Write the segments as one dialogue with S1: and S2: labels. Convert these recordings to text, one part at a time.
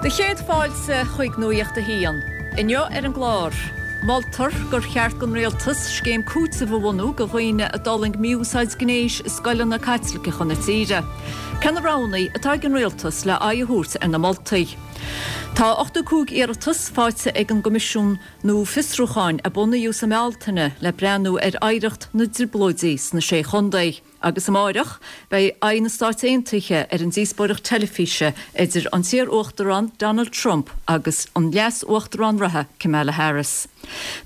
S1: Do chéad fáilte chuig Nuacht a hAon. Inniu ar an gclár, moltar gur cheart don rialtas scéim cúitimh a bhunú do dhaoine a d'fhulaing mí-úsáid gnéis i scoileanna Caitliceacha na tíre. Cé na roghanna atá ag an rialtas le aghaidh a thabhairt ar na moltaí? Tá 85 iarratas faighte ag an gCoimisiún nua Fiosrúcháin a bunaíodh sa mBealtaine le breathnú ar oidhreacht na dTrioblóidí sna Sé Chontae. Agus amáireach, beidh aghaidh na Stáit Aontaithe ar an díospóireacht teilifíse idir an t-iar-uachtarán Donald Trump agus an leas-uachtarán reatha Kamala Harris.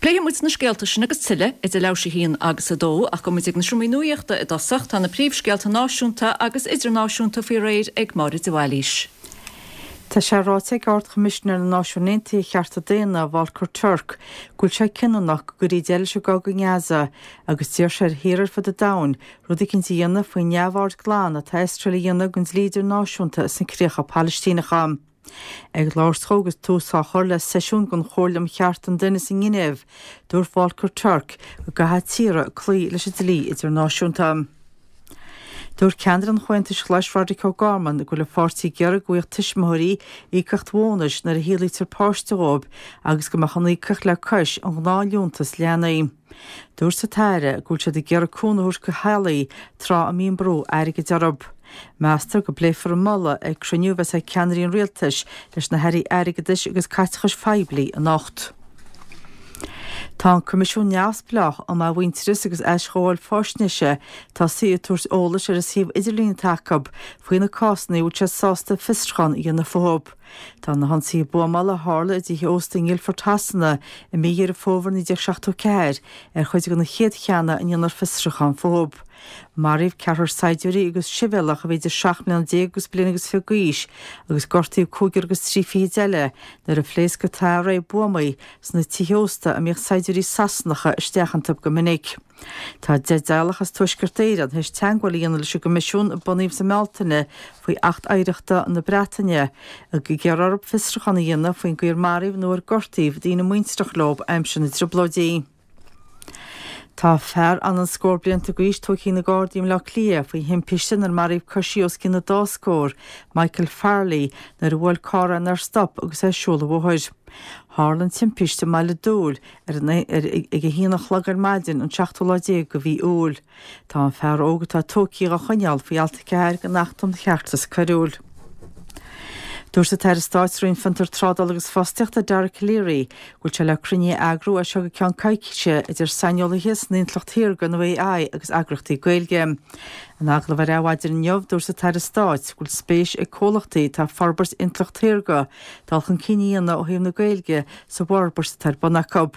S1: Pléifidh muid na scéalta sin agus tuilleadh idir leathuair théis a haon agus a dó, ach gabhfaidh muid ag na seomraí nuachta i dtosach. Tá na príomhscéalta náisiúnta agus idirnáisiúnta faoi réir ag Máire de Bhailís.
S2: Tá sé ráite ag Ard-Choimisinéir na Náisiún Aontaithe ar Chearta Daonna, Volker Turk, go bhfuil sé cinniúnach go gcuirfí deireadh leis an gcogadh i nGaza agus d'iarr sé ar thíortha ar fud an domhain rud eicínt a dhéanamh faoin neamhaird glan atá Iosrael a dhéanamh den dlí idirnáisiúnta sna críocha Palaistíneacha. Ag labhairt dhó agus tús á chur le seisiún den Chomhairle um Chearta an Duine sa nGinéiv, dúirt Volker Turk go gcaithfidh tíortha cloí leis an dlí idirnáisiúnta. Dúirt ceannaire an Chomhaontais Ghlais Roderic O'Gorman go bhfuil a pháirtí ag iarraidh go bhfaigheadh tuismitheoirí íocaíocht bhónais nuair a shaolaítear páiste dhóibh agus go mbeadh an íocaíocht le cois an ghnáthliúntas leanaí. Dúirt an tAire go bhfuil siad ag iarraidh cúnamh a thabhairt do theaghlaigh tráth a mbíonn brú airgid orthu. Meastar go bpléifear an moladh ag cruinniú a bheas ag ceannairí an rialtais leis na hairí airgeadais agus caiteachais phoiblí anocht. Tá an Coimisiún Neamhspleách um Athmhuintearas agus Aisghabháil Faisnéise tosaithe ag tabhairt eolais ar an suíomh idirlín atá acu faoi na cásanna a bhfuil siad sásta fiosrúchán a dhéanamh fúthu. Tá na hionsaithe buamála a tharla i dtithe ósta i nGuildford Shasana i mí Dheireadh Fómhair 1974 ar chuid de na chéad cheanna a ndéanfar fiosrúchán fúthu. Maraíodh ceathrar saighdiúirí agus sibhialtach a bhí idir 17 mbliana agus bliain agus fiche d'aois agus gortaíodh cúigear agus trí fichid eile nuair a phléasc an t-array buamaí sna tithe ósta a mbíodh saighdiúirí Sasanacha isteach iontu go minic. Tá 10 dteaghlach as Tuaisceart Éireann théis teagmháil a dhéanamh leis an gCoimisiún a bunaíodh sa mBealtaine faoi Acht Oidhreachta na Breataine ag iarraidh orthu fiosrúchán a dhéanamh faoin gcaoi ar maraíodh nó ar gortaíodh daoine muintreach leo aimsir na dTrioblóidí. Tá fear anonn scór blianta d'aois tógtha ag na Gardaí i mBleá Cliath faoi thimpiste inar maraíodh coisí os cionn an dá scór, Michael Farrelly, nuair a bhuail carr é nár stop agus é ag siúl an bhóthair. Tharla an timpiste i mBaile Dúill ar an ag a haon a chlog ar maidin an seachtú lá déag de mhí Iúil. Tá an fear óg atá tógtha dhá choinneáil faoi alt 4 den Acht um Cheartas Coiriúil. Dúirt an tAire Stáit sa Roinn Fiontar, Trádála agus Fostaíochta, Dara Calleary, go bhfuil sé le cruinniú a eagrú as seo go ceann coicíse idir saineolaithe san intleacht shaorga nó AI agus eagraíochtaí Gaeilge. In agallamh ar Adhmhaidin inniu, dúirt an tAire Stáit go bhfuil spéis ag comhlachtaí atá ag forbairt intleacht shaorga dul chun cinn a dhéanamh ó thaobh na Gaeilge sa bhforbairt atá ar bun acu.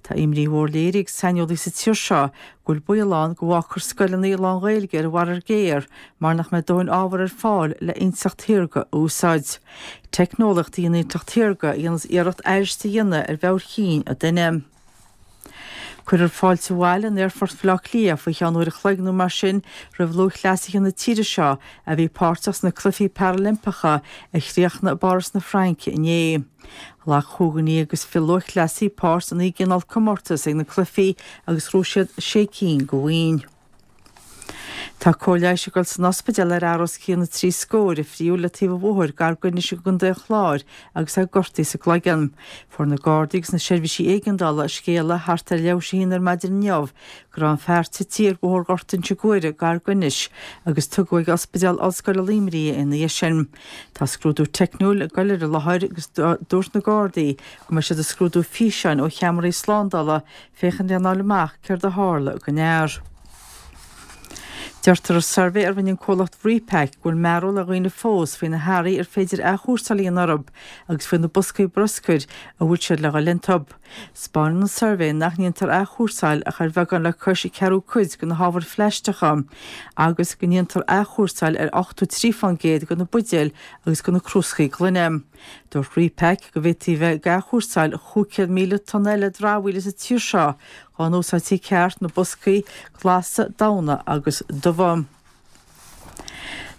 S2: Tá imní mhór léirithe ag saineolaithe sa tír seo go bhfuil baol ann go bhfágfar scoileanna lán-Ghaeilge ar an bhfarraige ghéar mar nach mbeidh dóthain ábhar ar fáil le intleacht shaorga a úsáid. Teicneolaíocht í an intleacht shaorga a dhéanas iarracht aithris a dhéanamh ar mheabhair chinn an duine. Cuirfear fáilte abhaile in Aerfort Bhaile Átha Cliath faoi cheann uair a chloig nó mar sin roimh lúthchleasaithe na tíre seo a bhí páirteach sna Cluichí Parailimpeacha a chríochnaigh i bPáras na Fraince inné. Ghlac chúig dhuine agus fiche lúthchleasaí páirt i naoi gcineál comórtas ag na cluichí agus ghnóthaigh siad sé cinn de bhoinn. Tá cóir leighis ag dul san ospidéal ar fhear os cionn na trí scóir a fríodh le taobh an bhóthair gar d'Inis i gContae an Chláir agus é gortaithe sa gcloigeann. Fuair na Gardaí agus na seirbhísí éigeandála scéala thart ar leathuair théis a haon ar maidin inniu go raibh an fear tite ar Bhóthar Ghort Inse Guaire gar d'Inis agus tugadh ag Ospidéal Ollscoile Luimnigh é ina dhiaidh sin. Tá scrúdú teicniúil ag dul ar an láthair agus dúirt na Gardaí go mbeidh siad ag scrúdú físeáin ó cheamaraí slándála féachaint lena fháil amach céard a tharla don fhear. Deirtear i suirbhé a rinne an comhlacht Repak go bhfuil mearbhall ar dhaoine fós faoi na hearraí ar féidir athchúrsáil a dhéanamh orthu agus faoi na boscaí bruscair a bhfuil siad le dhul iontu. 'Spáineann an suirbhé nach ndéantar athchúrsáil ach ar bheagán le cois ceathrú cuid de na hábhair phlaisteacha agus go ndéantar athchúrsáil ar 83% de na buidéil agus de na crúscaí gloine. Dúirt Repak go bhféadfaí a bheith ag athchúrsáil 500,000 tonna eile dramhaíola sa tír seo dá n-úsáidtí ceart na boscaí glasa, donn agus dubha.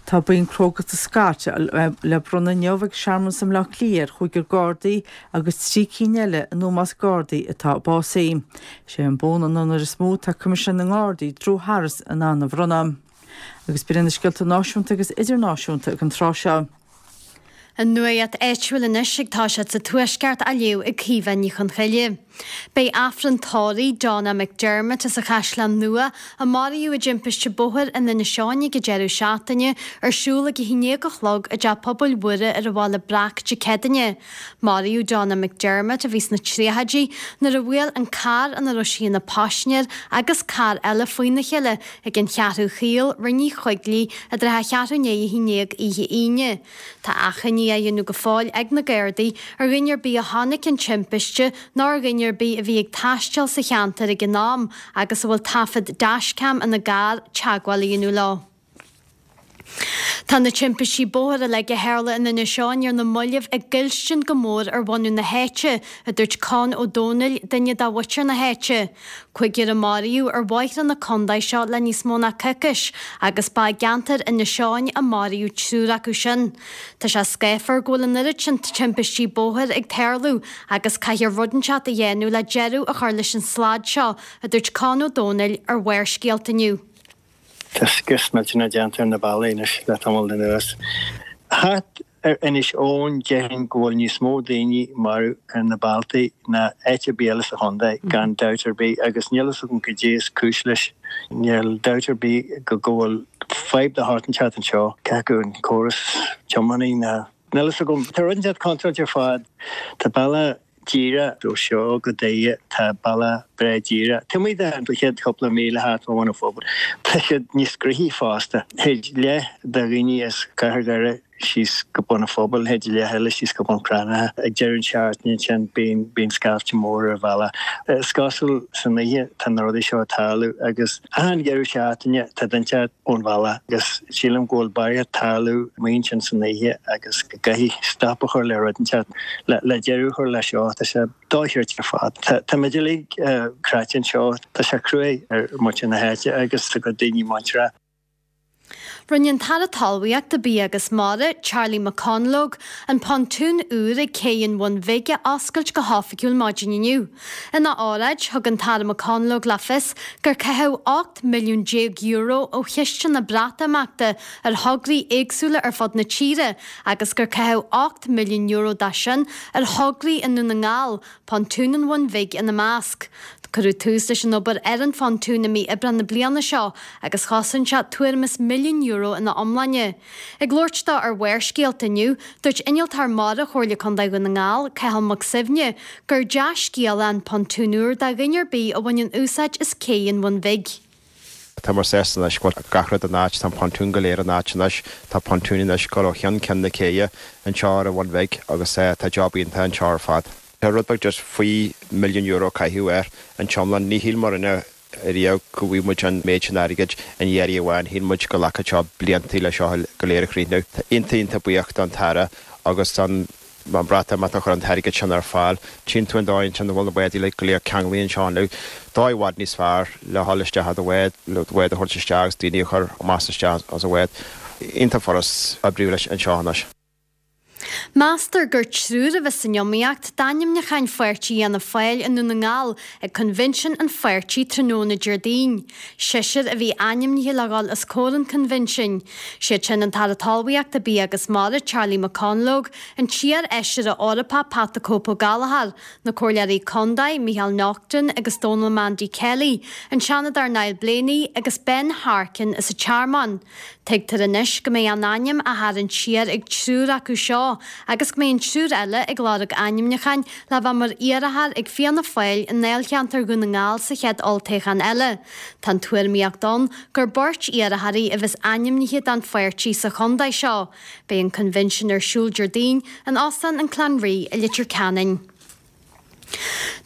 S2: Tá bonn crógachta Scott le bronnadh inniu ag searmanas i mBleá Cliath ar chúigear Gardaí agus 3 cinn eile i nÓmós Gardaí atá básaithe. Is é an bonn an onóir is mó atá Coimisinéir na nGardaí, Drew Harris in ann a bhronnadh. Agus b'in iad na scéalta náisiúnta agus idirnáisiúnta ag an tráth seo.
S3: An nuacht áitiúil anois ag toiseacht sa Tuaisceart á léamh ag Caoimhe Ní Chonchoille. Beidh Aifreann tórraimh Donna McDermott as an Chaisleán Nua, a maraíodh i dtimpiste bóthair in Inis Eoghain ag an deireadh seachtaine, ar siúl ag a haon déag a chlog i dTeach Pobail Mhuire ar an Bhaile Breac Dé Céadaoine. Maraíodh Donna McDermott, a bhí sna tríochaidí, nuair a bhuail an carr ina raibh sí ina paisinéir agus carr eile faoina chéile ag an Cheathrú Chaol, Rinn Uí Choigligh, i dtrátha cheathrú i ndiaidh a haon déag oíche Aoine. Tá achainí á dhéanamh go fóill ag na Gardaí ar dhuine ar bith a chonaic an timpiste nó ar dhuine ar bith a bhí ag taisteal sa cheantar ag an am agus a bhfuil taifead dashcam ina gcarr teagmháil a dhéanamh leo. Tá na timpistí bóthair uilig a tharla in Inis Eoghain ar na mallaibh ag goilstin go mór ar bhunadh na háite, a dúirt Con Ó Domhnaill, duine de mhuintir na háite. Cúigear a maraíodh ar bhóithre na contae seo le níos mó ná coicís agus ba i gceantar Inis Eoghain a maraíodh triúr acu sin. Tá sé scáfar go bhfuil an oiread sin timpistí bóthair ag tarlú agus caithfear rud inteacht a dhéanamh le deireadh a chur leis an slad seo, a dúirt Con Ó Domhnaill ar Bharrscéalta inniu.
S4: Tá scrios millteanach déanta ar na bealaí anois le tamall anuas. Thart ar Inis Eoghain déarfainn go bhfuil níos mó daoine marbh ar na bealtaí ná áit ar bith eile sa chontae, gan dabht ar bith, agus níl fhios agam goidé is cúis leis. Níl dabht ar bith go go bhfuil fadhb de shórt inteacht anseo, cé acu an córas tiománaí ná. Níl fhios agam. Tá rud inteacht contúirteach ar fad. Tá bealach díreach ó seo go Doire, tá bealach breá díreach. Taobh amuigh den chéad chúpla míle thart fá Bhun an Phobail, tá siad níos gnoithí fosta. Théid leath de dhaoine as Cathair Dhoire síos go Bun an Phobail, théid leath eile síos go Bun Cranncha. Ag deireadh an seachtaine ansin bíonn bíonn scaifte mór ar an bhealach. Is cosúil san oíche tá na rudaí seo ag tarlú agus achan deireadh seachtaine tá duine inteacht ón bhealach agus sílim go bhfuil barraíocht tarlú amuigh ansin san oíche agus go gcaithfidh stop a chur le rud inteacht le le deireadh a chur leis seo. Tá sé dochreidte ar fad. Tá tá muid uilig cráite anseo. Tá sé cruaidh ar muintir na háite agus a gcuid daoine muinteartha.
S3: Rinne an tAire Talmhaíochta, Bia agus Mara, Charlie McConalogue, an pontún úr ag Cé an Bhun Bhig a oscailt go hoifigiúil maidin inniu. Ina óráid, thug an tAire McConalogue le fios gur caitheadh €18 milliún ó chiste na Breatimeachta ar thograí éagsúla ar fud na tíre agus gur caitheadh €8 milliún de sin ar thograí i nDún na nGall, Pontún an Bhun Bhig ina measc. Cuireadh tús leis an obair ar an phontún i mí Aibreán na bliana seo agus chosain sé tuairim is €1 milliún ina iomláine. Ag labhairt dó ar Bharrscéalta inniu, dúirt Innealtóir Mara Chomhairle Contae Dhún na nGall, Cathal Mac Suibhne, gur dea-scéala an pontún úr do dhuine ar bith a bhaineann úsáid as Cé an Bhun Bhig.
S5: Tá muid sásta anois go bhfuil gach rud in áit, tá an pontún go léir in áit anois, tá pontún anois ag dul ó cheann ceann na céidhe anseo ar an Bhun Bhig agus tá job iontach anseo ar fad. Tá rud beag just faoi €1 milliún caitheadh air an t-iomlán. Ní shíl muidne riamh go bhfaighidh muid an méid sin airgid in iarraidh amháin, shíl muid go nglacfadh seo blianta le seo go léir a chríochnú. Tá iontach iontach buíoch don tAire agus don. an Bhreatimeacht a chuir an t-airgead sin ar fáil. Tchíonn tú an dóigh ansin a bhfuil na báid uilig go léir ceanglaithe anseo inniu. Dóigh i bhfad níos fearr le dhul isteach i do bhád, le do bhád a thabhairt isteach agus daoine a chur amach is isteach as an bhád. Iontach furast oibriú leis anseo anois.
S3: Meastar gur triúr a bheas san iomaíocht d'ainmniúcháin pháirtí Fhianna Fáil i nDún na nGall ag coinbhinsean an pháirtí tráthnóna Déardaoin. Seisear a bhí ainmnithe le dhul os comhair an choinbhinsin. Siad sin an tAire Talmhaíochta, Bia agus Mara, Charlie McConalogue, an t-iar-fheisire Eorpach Pat the Cope Ó Gallchóir, na Comhairleoirí Contae, Micheál Naughton agus Donal Mandy Kelly, an Seanadóir Niall Blaney agus Ben Harkin as an Tearmann. Tuigtear anois go mbeidh a n-ainm á tharraingt siar ag triúr acu seo agus go mbeidh an triúr eile ag lorg ainmniúcháin le bheith mar iarrthóir ag Fianna Fáil i ndáilcheantar Dhún na nGall sa chéad olltoghchán eile. Tá an tuairimíocht ann gur beirt iarrthóirí a bheas ainmnithe don pháirtí sa chontae seo. Beidh an coinbhinsean ar siúl Déardaoin in Óstán an Clanree i Leitir Ceanainn.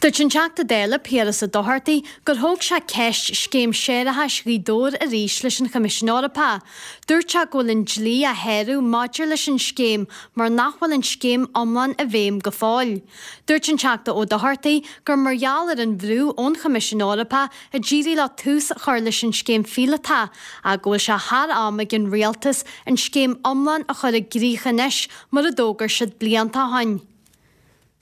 S3: Dúirt an Teachta Dála Piaras Ó Dochartaigh gur thóg sé ceist scéim séarachais Ghaoth Dobhair arís leis an Choimisiún Eorpach. Dúirt sé go bhfuil an dlí á shárú maidir leis an scéim mar nach bhfuil an scéim iomlán i bhfeidhm go fóill. Dúirt an Teachta Ó Dochartaigh gur mar gheall ar an bhrú ón Choimisiún Eorpach a d'éirigh leo tús a chur leis an scéim phíolótach ach go bhfuil sé thar am ag an Rialtas an scéim iomlán a chur i gcrích anois mar a d'fhógair siad blianta ó shin.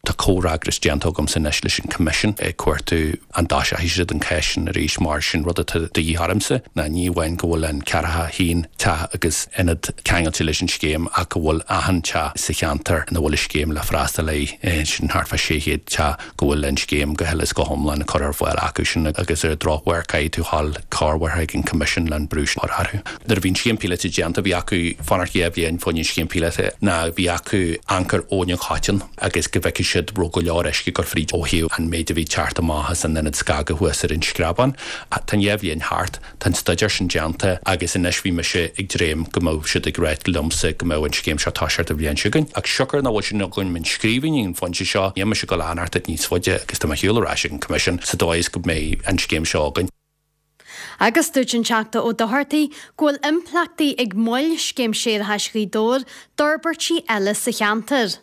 S6: Tá comhfhreagras déanta agamsa anois leis an Coimisiún ag cuartú an dtoiseochaidh siad an cás sin arís mar sin rud atá de dhíth ormsa ná ní amháin go bhfuil an 41 teach agus ionad ceangailte leis an scéim ach go bhfuil achan teach sa cheantar ina bhfuil an scéim le freastal air, sin thart fá 600 teach, go bhfuil an scéim go huile is go hiomlán curtha ar fáil acu sin agus ar an drochuair caithfidh tú dhul corruair chuig an Coimisiún le an brú sin a chur orthu. Nuair a bhí an scéim píolóta déanta bhí acu fanacht 2 bhliain fá choinne an scéim píolóta ná bhí acu amharc ar Abhainn an Choiteann agus go bhfeicfeadh siad raibh go leor uisce ag dul fríd ó thaobh an méid a bhí ag teacht amach as an ionad scagaidh thuas ar an Screabán. Tá an 2 bhliain thart. Tá an staidéar sin déanta agus anois bhí mise ag dréim go mbeadh siad ag ráit liomsa go mbeadh an scéim seo toiseacht an bhliain seo chugainn. Ach siocair nach bhfuil sin agam i scríbhinn ag an phointe seo, níl mise ag dul a fhanacht níos faide agus tá mé ar shiúl ar ais ag an Coimisiún sa dóigh is go mbeidh an scéim seo againn.
S3: Agus dúirt an Teachta Ó Dochartaigh go bhfuil impleachtaí ag moill Scéim Séarachais Ghaoth Dobhair d'fhorbairtí eile sa cheantar.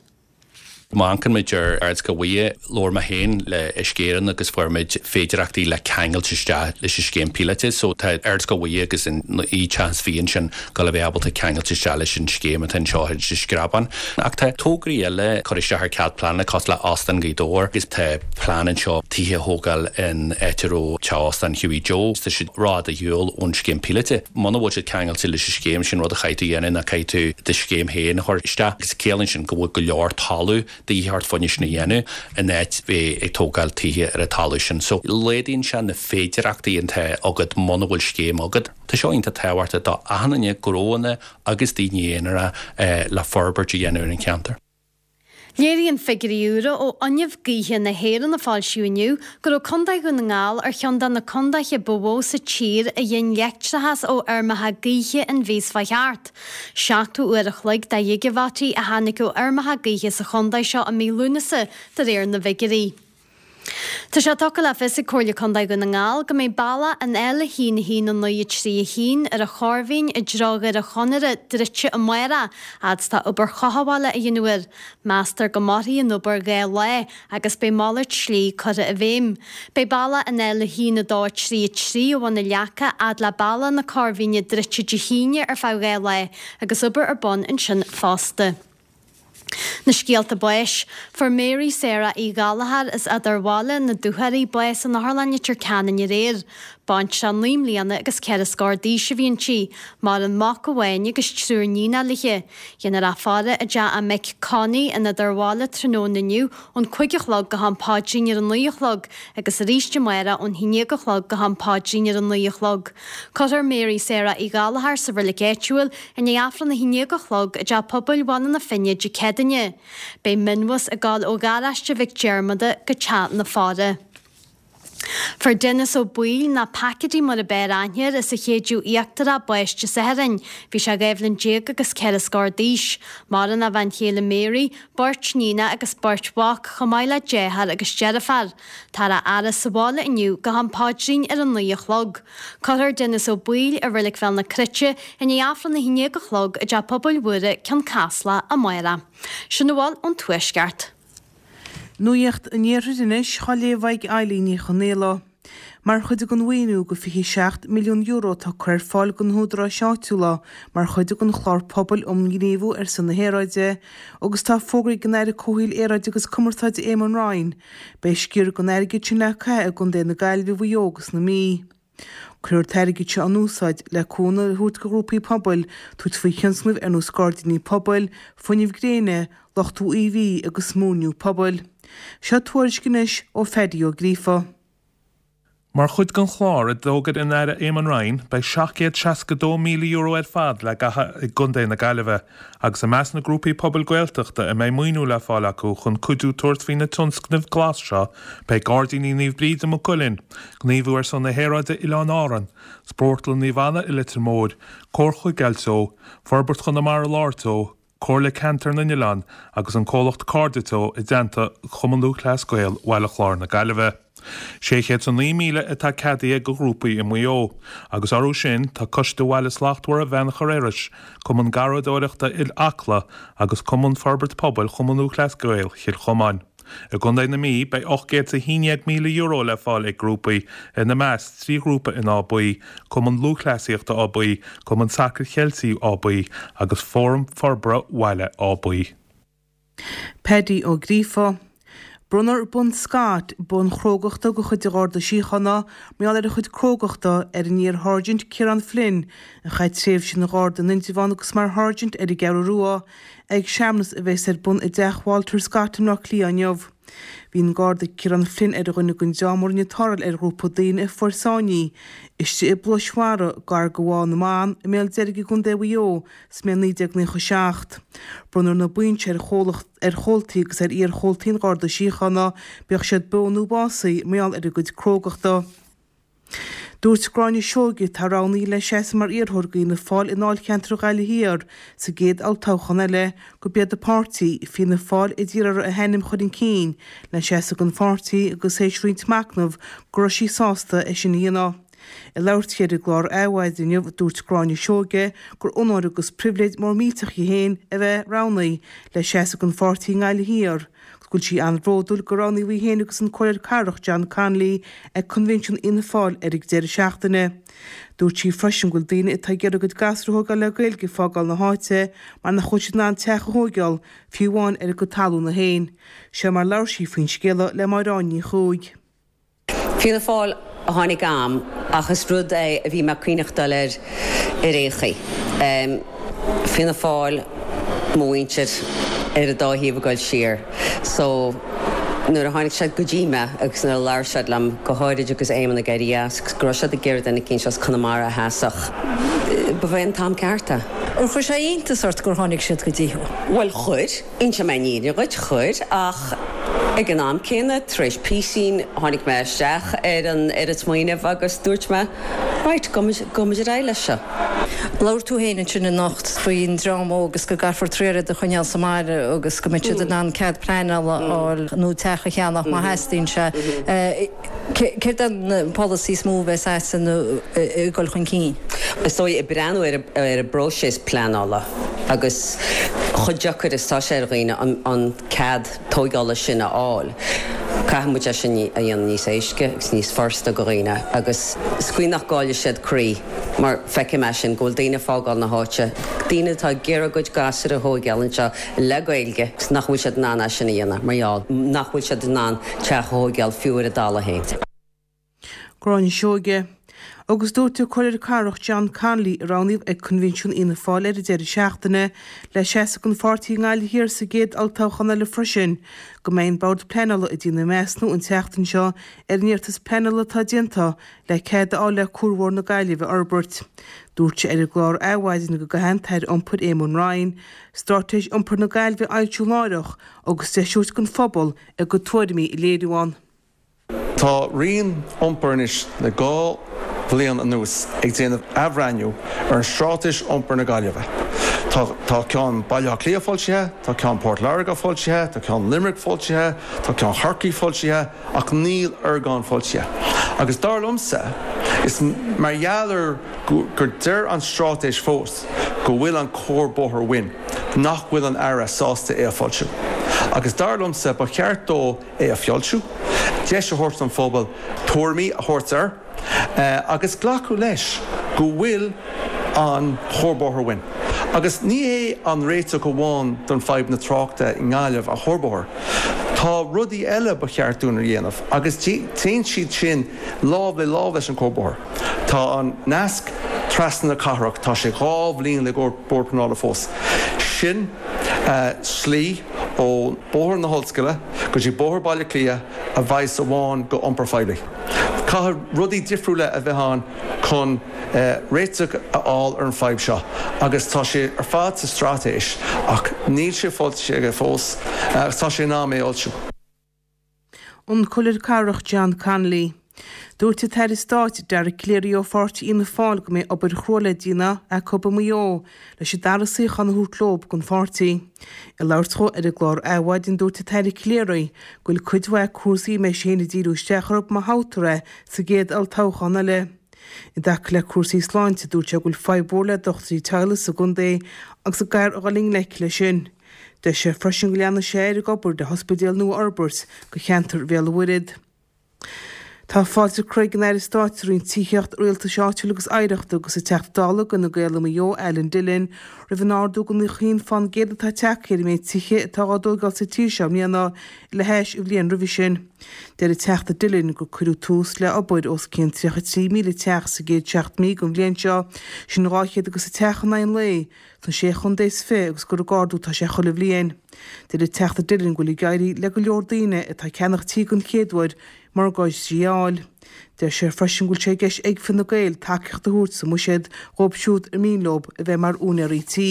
S6: Má amharcann muid ar Ardscoil Mhuire, labhair mé féin le Uisce Éireann agus fuair muid féidireachtaí le ceangailt isteach leis an scéim píolóta. So tá Ardscoil Mhuire agus an naoi teach is fiche ansin ag dul a bheith ábalta ceangailt isteach leis an scéim atá anseo ar an Screabán. Ach tá tograí eile curtha isteach ar cead pleanála cosúil le Óstán Ghaoth Dobhair agus tá plean anseo tithe a thógáil in áit a raibh teach óstáin Hughie Joe. Tá siad rófhada ar shiúl ón scéim píolóta. Muna bhfuil siad ceangailte leis an scéim, sin rud a chaithfidh tú a dhéanamh ná caithfidh tú do scéim féin a chur isteach. Agus ciallaíonn sin go bhfuil go leor talamh de dhíth ort fá choinne sin a dhéanamh in áit bheith ag tógáil tithe ar an talamh sin. So laghdaíonn sé na féidireachtaí atá agat muna bhfuil scéim agat. Tá seo iontach tábhachtach do achan duine, gnóanna agus daoine aonara le forbairt a dhéanamh ar an cheantar.
S3: Léiríonn figiúirí úra ó Fhuinneamh Gaoithe na hÉireann a foilsíodh inniu go raibh Contae Dhún na nGall ar cheann de na contaetha ba mhó sa tír a ghin leictreachas ó fheirmeacha gaoithe an mhí seo chuaigh thart. 70 uair a chloig de ghigeavataí a tháinig ó fheirmeacha gaoithe sa chontae seo i mí Lúnasa, de réir na bhfigiúirí. Tá sé tugtha le fios ag Comhairle Contae Dhún na nGall go mbeidh bealach an L1 1 9 3 1 ar an Chorrmhín i dtreo Dhoire Chonaire druidte amárach, fhad is atá obair chothabhála á dhéanamh air. Meastar go mairfidh an obair 2 lá agus beidh malairt slí curtha i bhfeidhm. Beidh bealach an L1 2 3 3 ó Bhun na Leaca fhad le bealach na Corrmhíne druidte Dé hAoine ar feadh 2 lá agus obair ar bun ansin fosta. Na scéalta báis. Fuair Mary Sarah Uí Ghallchóir as Eadarbhaile na Dúchoraidhe bás in Otharlann Leitir Ceanainn aréir. Baintreach 9 mbliana agus 4 scór d'aois a bhí inti. Maireann mac amháin agus triúr níonacha léi. Déanfar í a faire i dteach a mic Connie in Eadarbhaile tráthnóna inniu ón 5 a chlog go ham paidrín ar a 9 a chlog agus arís amárach ón 11 a chlog go ham paidrín ar a 9 a chlog. Cuirfear Mary Sarah Uí Ghallchóir sa reilig áitiúil i ndiaidh Aifreann a 11 a chlog i dTeach Pobail Bhaile na Finne Dé Céadaoine. Beidh mionbhus ag gabháil ó Gharáiste Mhic Diarmada go teach na faire. Fuair Denis Ó Baoill, nó Packety mar a b'fhearr aithne air, as an Chéideadh Íochtarach bás Dé Sathairn. Bhí sé 12 bhliain agus 4 scór d'aois. Maireann a bhean chéile Mary, beirt níonacha agus beirt mhac, chomh maith le deartháir agus deirfiúr. Táthar á fhaire sa bhaile inniu go ham paidrín ar a 9 a chlog. Cuirfear Denis Ó Baoill i Reilig Bhéal na Cruite i ndiaidh Aifreann a 11 a chlog i dTeach Pobail Mhuire, Cionn Caslach, amárach. Sin a bhfuil ón Tuaisceart.
S2: Nuacht an Iarthair anois á léamh ag Eilín Ní Chonaola. Mar chuid den mhaoiniú de €27 milliún atá curtha ar fáil do na húdaráis áitiúla mar chuid den Chlár Pobail um Ghníomhú ar son na hAeráide agus atá fógraithe ag an Aire Comhshaoil, Aeráide agus Cumarsáide Eamon Ryan, beidh sciar den airgead sin le caitheamh i gContae na Gaillimhe, Mhaigh Eo agus na Mí. Cuirfear an t-airgead seo in úsáid le cúnamh a thabhairt do ghrúpaí pobail tabhairt faoi thionscnaimh ar nós gairdíní pobail, fuinneamh gréine, luchtú UV agus múirniú pobail. Seo tuairisc anois ó Phaddy Ó Gríofa.
S7: Mar chuid den chlár a d'fhógair an Aire Eamon Ryan, beidh €762,000 ar fad le caitheamh i gContae na Gaillimhe, agus i measc na grúpaí pobail Gaeltachta a mbeidh maoiniú le fáil acu chun cuidiú tabhairt faoi na tionscnaimh glas seo beidh Gairdíní Naomh Bríd i Maigh Cuilinn, Gníomhú ar son na hAeráide Oileáin Árann, Spórtlann Naomh Anna i Leitir Móir, Comhar Chuigéil Teo, Forbairt Chonamara Láir Teo, Comhairle Ceantar na nOileán agus an comhlacht Cairde Teo i dteannta Chumann Lúthchleas Gael Bhaile Chláir na Gaillimhe. 609,000 atá ceadaithe do ghrúpaí i Maigh Eo, agus orthu sin tá Coiste Bhaile Slachtmhar Bheannchar Iorrais, Cumann Garraíodóireachta Acla agus Cumann Forbairt Pobail Chumann Lúthchleas Gael Chill Chomáin. I gContae na Mí, beidh €811,000 le fáil ag grúpaí, ina measc, 3 ghrúpa in Áth Buí, Cumann Lúthchleasaíochta Áth Buí, Cumann Sacair Cheiltigh Áth Buí agus Fóram Forbartha Bhaile Áth Buí.
S2: Paddy Ó Gríofa. Bronnfar Bonn Scott, bonn chrógachta de chuid an Gharda Síochána, mar gheall ar a chuid crógachta, ar an iar-Sháirsint Ciarán Flynn, a chaith tréimhse ina Gharda in Indreabhán agus mar Sháirsint ar an gCeathrú Rua, ag searmanas a bheas ar bun i dTeach Walter Scott i mBleá Cliath inniu. Bhí an Garda Ciarán Flynn ar dhuine den dream a rinne tarrtháil ar ghrúpa daoine a fuair sáinnithe istigh i bpluais mhara gar do Bhá na mBan i mBéal Deirg i gContae Mhaigh Eo sa mbliain 1997. Bronnfar na boinn seo ar chomhlacht, ar chomhaltaí agus ar iar-chomhaltaí an Gharda Síochána, bíodh siad beo nó básaithe, mar gheall ar a gcuid crógachta. Dúirt Gráinne Seoige, atá roghnaithe le seasamh mar iarrthóir do Fhianna Fáil i ndáilcheantar Ghaillimh Thiar sa gcéad olltoghchán eile, gurb iad a páirtí, Fianna Fáil, a d'iarr uirthi a hainm a chur chun cinn le seasamh don pháirtí agus théis roinnt machnaimh go raibh sí sásta é sin a dhéanamh. Ag labhairt di ar an gclár Adhmhaidin inniu, dúirt Gráinne Seoige gur onóir agus pribhléid mór millteach di féin a bheith roghnaithe le seasamh don pháirtí i nGaillimh Thiar agus go bhfuil sí an-bhródúil gur roghnaíodh í féin agus an Comhairleoir Cathrach John Connolly ag Coinbhinsiún Fhianna Fáil ar an deireadh seachtaine. Dúirt sí freisin go bhfuil daoine atá ag iarraidh a gcuid gasúr a thógáil le Gaeilge ag fágáil na háite mar nach bhfuil siad in ann teach a thóigeáil, fiú amháin ar a gcuid talúna féin. Seo mar labhair sí faoin scéala le Máire Áine Ní Chuaig.
S8: Fianna Fáil a tháinig agam ach is rud é a bhí mé ag cuimhneachtáil air ar aon chaoi. Fianna Fáil, mo mhuintir ar an dá thaobh ag dul siar so nuair a tháinig siad go dtí mé agus nuair a labhair siad liom, go háirid agus Éamon ag éirí as agus go raibh siad ag iarraidh duine eicínt as Conamara a sheasfadh, ba é an t-am ceart é.
S9: Ar chuir sé iontas ort gur tháinig siad go dtí thú?
S8: Bhuel chuir. Inseoidh mé an fhírinne dhuit, chuir, ach ag an am céanna, tar éis píosín, tháinig mé isteach ar an ar an smaoineamh agus dúirt mé, right, gabhfaidh muid ar aghaidh leis seo.
S9: Labhair tú féin ansin anocht faoin dream óg agus go gcaithfear triail iad a choinneáil sa mbaile agus go mbeidh siad in ann cead pleanála a fháil nó teach a cheannach má theastaíonn sé. Céard é an polasaí is mó a bheas agatsa nó ag dul chun cinn?
S8: Is dóigh, ag breathnú ar an bpróiseas pleanála agus chomh deacair is atá sé ar dhaoine an cead tóigeála sin a fháil, caithfidh muid é sin a dhéanamh níos éasca agus níos furasta do dhaoine agus sa chaoi nach gcaillfidh siad croí mar feicim é sin, go bhfuil daoine ag fágáil na háite, daoine atá ag iarraidh a gcuid gasúr a thóigeáil anseo le Gaeilge agus nach bhfuil siad in ann é sin a dhéanamh mar gheall nach bhfuil siad in ann teach a thóigeáil fiú ar a dtalamh féin.
S2: Gráinne Seoige. Agus dúirt an Comhairleoir Cathrach John Connolly, a roghnaíodh ag Coinbhinsiún Fhianna Fáil ar an deireadh seachtaine le seasamh don pháirtí i nGaillimh Thiar sa gcéad olltoghchán eile freisin, go mbeidh an Bord Pleanála ag déanamh measúnú an tseachtain seo ar an iarratas pleanála atá déanta le cead a fháil le Cuarbhóthar na Gaillimhe a fhorbairt. Dúirt sé ar an gclár Adhmhaidin go gcaithfidh an tAire Iompair Éamon Ryan Straitéis Iompair na Gaillimhe a fhoilsiú láithreach agus deis a thabhairt don phobal a gcuid tuairimí a léiriú ann.
S10: Tá Roinn Iompair anois le 2 bhliain anuas ag déanamh athbhreithniú ar an Straitéis Iompair na Gaillimhe. Tá tá ceann Baile Átha Cliath foilsithe, tá ceann Port Láirge foilsithe, tá ceann Limerick foilsithe, tá ceann Chorcaí foilsithe ach níl ár gceann foilsithe. Agus dar liomsa, is mar gheall ar gur deir an straitéis fós go bhfuil an cuarbhóthar uainn, nach bhfuil an Aire sásta é a foilsiú. Agus dar liomsa, ba cheart dó é a fhoilsiú, deis a thabhairt don phobal tuairimí a thabhairt air, agus glacadh leis go bhfuil an cuarbhóthar uainn. Agus ní hé an réiteach amháin don fadhb na tráchta i nGaillimh an cuarbhóthar. Tá rudaí eile ba cheart dúinn a dhéanamh agus téann siad sin lámh le lámh leis an cuarbhóthar. Tá an nasc trasna na cathrach, tá sé 2 bhliain le Bord Pleanála fós. Sin slí ó Bóthar na hOllscoile go dtí Bóthar Baile Átha Cliath a bheas amháin go iompar phoiblí. Caithfidh rudaí difriúla a bheith ann chun réiteach a fháil ar an fadhb seo agus tá sé ar fad sa straitéis ach níl sé foilsithe aige fós agus tá sé in am é a fhoilsiú.
S2: An Comhairleoir Cathrach John Connolly. Dúirt an tAire Stáit Dara Calleary ó pháirtí Fhianna Fáil go mbeidh obair chrua le déanamh acu i Maigh Eo leis an dara suíochán a thabhairt leo don pháirtí. Ag labhairt dhó ar an gclár Adhmhaidin dúirt an tAire Calleary go bhfuil cuid mhaith cúrsaí a mbeidh sé féin ag díriú isteach orthu má thoghtar é sa gcéad olltoghchán eile. I dtaca le cúrsaí sláinte dúirt sé go bhfuil fadhb mhór le dochtúirí teaghlaigh sa gcontae agus go gcaithfear a dhul i ngleic leis sin. Deir sé freisin go leanfaidh sé air ag obair le hospidéal nua a fhorbairt do cheantar Bhéal an Mhuirthead.
S11: Tá fáilte curtha ag an Aire Stáit sa Roinn Tithíochta, Rialtais Áitiúil agus Oidhreachta agus an Teachta Dála d'Fhine Gael i Maigh Eo, Alan Dillon, roimh an ardú de 91% atá tagtha ar an méid tithe atá á dtóigeáil sa tír seo i mbliana le hais an bhliain roimhe sin. Deir an Teachta Dillon gur cuireadh tús le obair os cionn 33,000 teach sa gcéad 7 mí den bhliain seo, sin 200 agus teach in aghaidh an lae, sna Sé Chontae is 20 agus gur ag ardú atá sé chuile bhliain. Deir an Teachta Dillon go bhfuil ag éirí le go leor daoine atá ag ceannach tí den chéad uair morgáistí a fháil. Deir sé freisin go bhfuil sé i gceist ag Fine Gael tacaíocht a thabhairt sa mbuiséad dhóibh siúd ar mian leo a bheith mar úinéirí tí.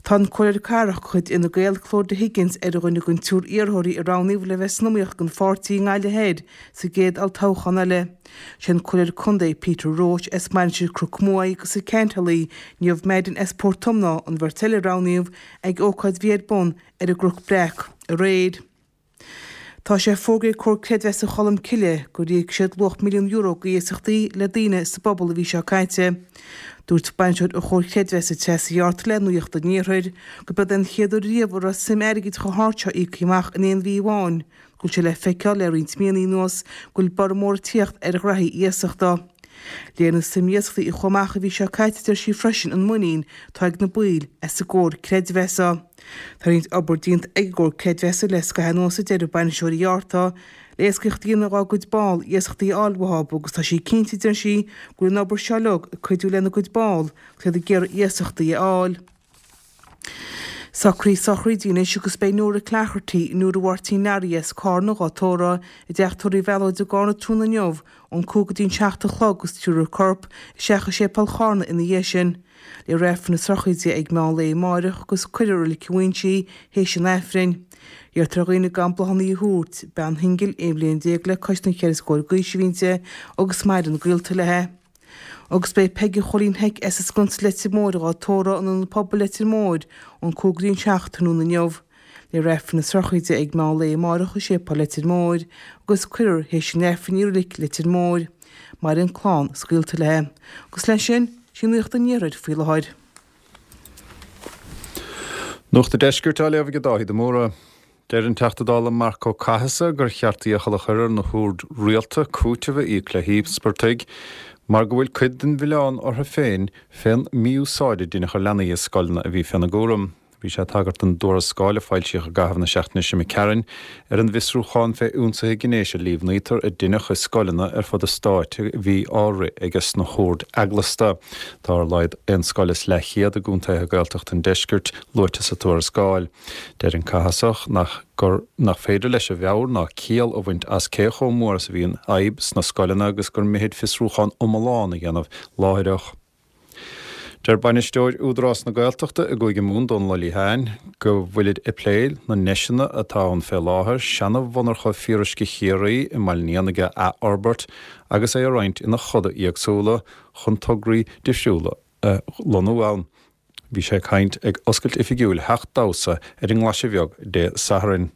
S11: Tá an Comhairleoir Cathrach de chuid Fhine Gael, Clodagh Higgins, ar dhuine den triúr iarrthóirí a roghnaíodh le bheith san iomaíocht don pháirtí i nGaillimh Thoir sa gcéad olltoghchán eile. Sé an Comhairleoir Contae Peter Roche as Mainistir Chnoc Muaidhe agus an ceantálaí Niamh Madden as Port Omna an bheirt eile a roghnaíodh ag ócáid a bhí ar bun ar an gCnoc Breac aréir. Tá sé fógraithe ag Comhar Creidmheasa Cholmcille gur íoc siad luach €1,000,000 d'iasachtaí le daoine sa bpobal an mhí seo caite. Dúirt bainisteoir an Chomhair Chreidmheasa Treasa Uí Fhátharta le Nuacht an Iarthair gurb é an chéad uair riamh a raibh suim airgid chomh hard seo íoctha amach in aon mhí amháin, go bhfuil sé le feiceáil le roinnt míonna anuas go bhfuil borradh mór ag tíocht ar ghraithí iasachta. Léiríonn an suim iasachtaí a chuaigh amach an mhí seo caite, a deir sí freisin, an muinín atá ag na baill as an gComhar Creidmheasa. Tá roinnt obair déanta ag an gComhar Creidmheasa le scaitheamh anuas, a deir bainisteoir Uí Fhátharta, le éascaíocht a dhéanamh dá gcuid ball iasachtaí a fháil uathu agus tá sí cinnte, a deir sí, go bhfuil an obair seo uilig ag cuidiú lena gcuid ball agus iad ag iarraidh iasachtaí a fháil. Socruithe sochraide anois agus beidh Nóra Clochartaigh, Nóra Mháirtín Learaí as Cárna dhá tórramh i dteach tórraimh Mhealóid i gCárna tráthnóna inniu ón 5 go dtí an 7 a chlog agus tabharfar a corp isteach i séipéal Chárna ina dhiaidh sin. Léifear Aifreann na sochraide ag meán lae amáireach agus cuirfear i Reilig an Mhuinsigh í théis an Aifrinn. Iarrtar ar dhaoine gan bláthanna a thabhairt. Bean shingil 11 bhliain le cois na cheithre scór d'aois a bhí inti agus maireann gaolta léi. Agus beidh Peige Chóilín Heic as an Sconsa Leitir Móir dhá tórramh in Ionad Pobail Leitir Móir ón 5 go dtí an 7 tráthnóna inniu. Léifear Aifreann na sochraide ag meán lae amáireach i Séipéal Leitir Móir agus cuirfear théis an Aifrinn í i Reilig Leitir Móir. Maireann clann is gaolta léi. Agus leis sin, sí Nuacht an Iarthair faoi láthair.
S12: Nuacht an Deiscirt á léamh ag Dáithí de Mórdha. Deir an Teachta Dála Marc Ó Cathasaigh gur cheart iachall a chur ar na hoird rialta cúiteamh a íoc le híospartaigh mar go bhfuil cuid den mhilleán orthu féin fén mí-úsáid a deineadh ar leanaí i scoileanna a bhí féna gcúram. Bhí sé ag tagairt don dtuarascáil a foilsíodh i gcaitheamh na seachtaine seo imigh tharainn ar an bhfiosrúchán fé ionsaithe gnéis a líomhnaítear a deineadh i scoileanna ar fud an stáit a bhí á rith aige sna hoird eaglasta. Tá ar a laghad aon scoil is leathchéad i gcontaetha Gaeltachta an deiscirt luaite sa tuarascáil. Deir an Cathasach nach gur nach féidir leis a mheabhair ná ciall a bhaint as cé chomh mór is a bhí an fhadhb sna scoileanna agus gur mithid fiosrúchán iomlán a dhéanamh láithreach. Deir bainisteoir Údarás na Gaeltachta i gCúige Mumhan, Dónal Ó Liatháin, go bhfuilid ag plé na ndeiseanna atá ann fé láthair seana-mhonarcha fíoruisce Chiarraí i mBaile an Éanaigh a athfhorbairt agus é a roinnt ina choda éagsúla chun tograí difriúla a lonnú ann. Bhí sé ag caint ag oscailt oifigiúil Theach Damhsa ar an nGlaise Bheag Dé Sathairn.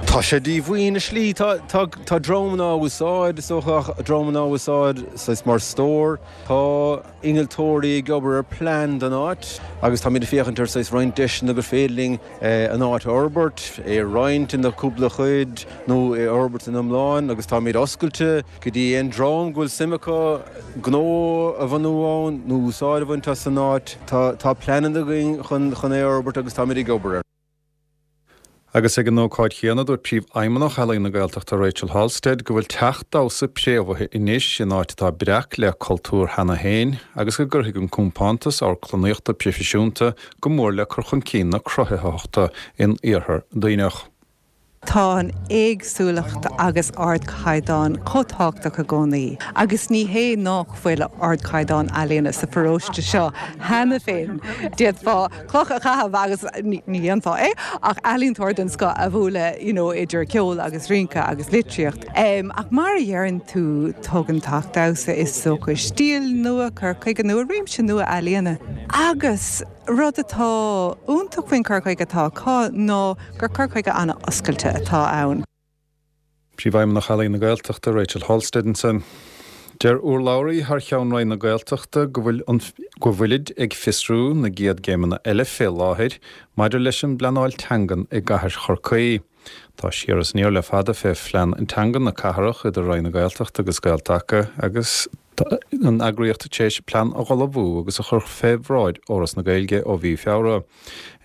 S13: Tá sé díomhaoin i slí. Tá, tá, tá dreamanna á úsáid, is dócha, dreamanna á úsáid saghas mar stór. Tá innealtóirí ag obair ar plean don áit agus táimid ag féachaint ar saghas roinnt deiseanna gur féidir linn an áit a fhorbairt, é a roinnt ina cúpla chuid nó é a fhorbairt ina iomlán agus táimid oscailte go dtí aon dream go bhfuil suim acu gnó a bhunú ann nó úsáid a bhaint as an áit. Tá pleananna againn chun chun é a fhorbairt agus táimid ag obair air.
S12: Agus ag an ócáid chéanna, dúirt Príomhfheidhmeannach Ealaín na Gaeltachta Rachel Halstead go bhfuil teach damhsa préamhaithe anois in áit atá breac le cultúr cheana féin agus go gcuirfidh an compántas amharclannaíochta proifisiúnta go mór le cur chun cinn na cruthaitheachta in Iarthar Duibhneach.
S14: Tá an éagsúlacht agus ardchaighdeán chomh tábhachtach i gcónaí, agus ní hé nách bhfuil ardchaighdeán ealaíona sa pharóiste seo cheana féin. D'fhéadfá cloch a chaitheamh agus, ní dhéanfá é, ach ealaíontóir den scoth a bhualadh you know idir ceol agus rince agus litríocht. Ach mar a dheireann tú, tugann Teach Damhsa is dócha stíl nua, cur chuige nua, réimse nua ealaíona agus, Rud atá iontach faoin chur chuige atá acu ná gur cur chuige an-oscailte atá ann.
S12: Príomhfheidhmeannach Ealaín na Gaeltachta, Rachel Halstead ansin. Deir urlabhraí thar cheann Roinn na Gaeltachta go bhfuil an go bhfuilid ag fiosrú na gcéad gcéimeanna eile fé láthair maidir leis an bpleanáil teangan i gcathair Chorcaí. Tá siar is aniar le fada fé phlean teanga na cathrach idir Roinn na Gaeltachta agus Gael-Taca agus tá an eagraíocht tar éis plean a dh'ullmhú agus a chur fé bhráid Fhoras na Gaeilge ó mhí Feabhra.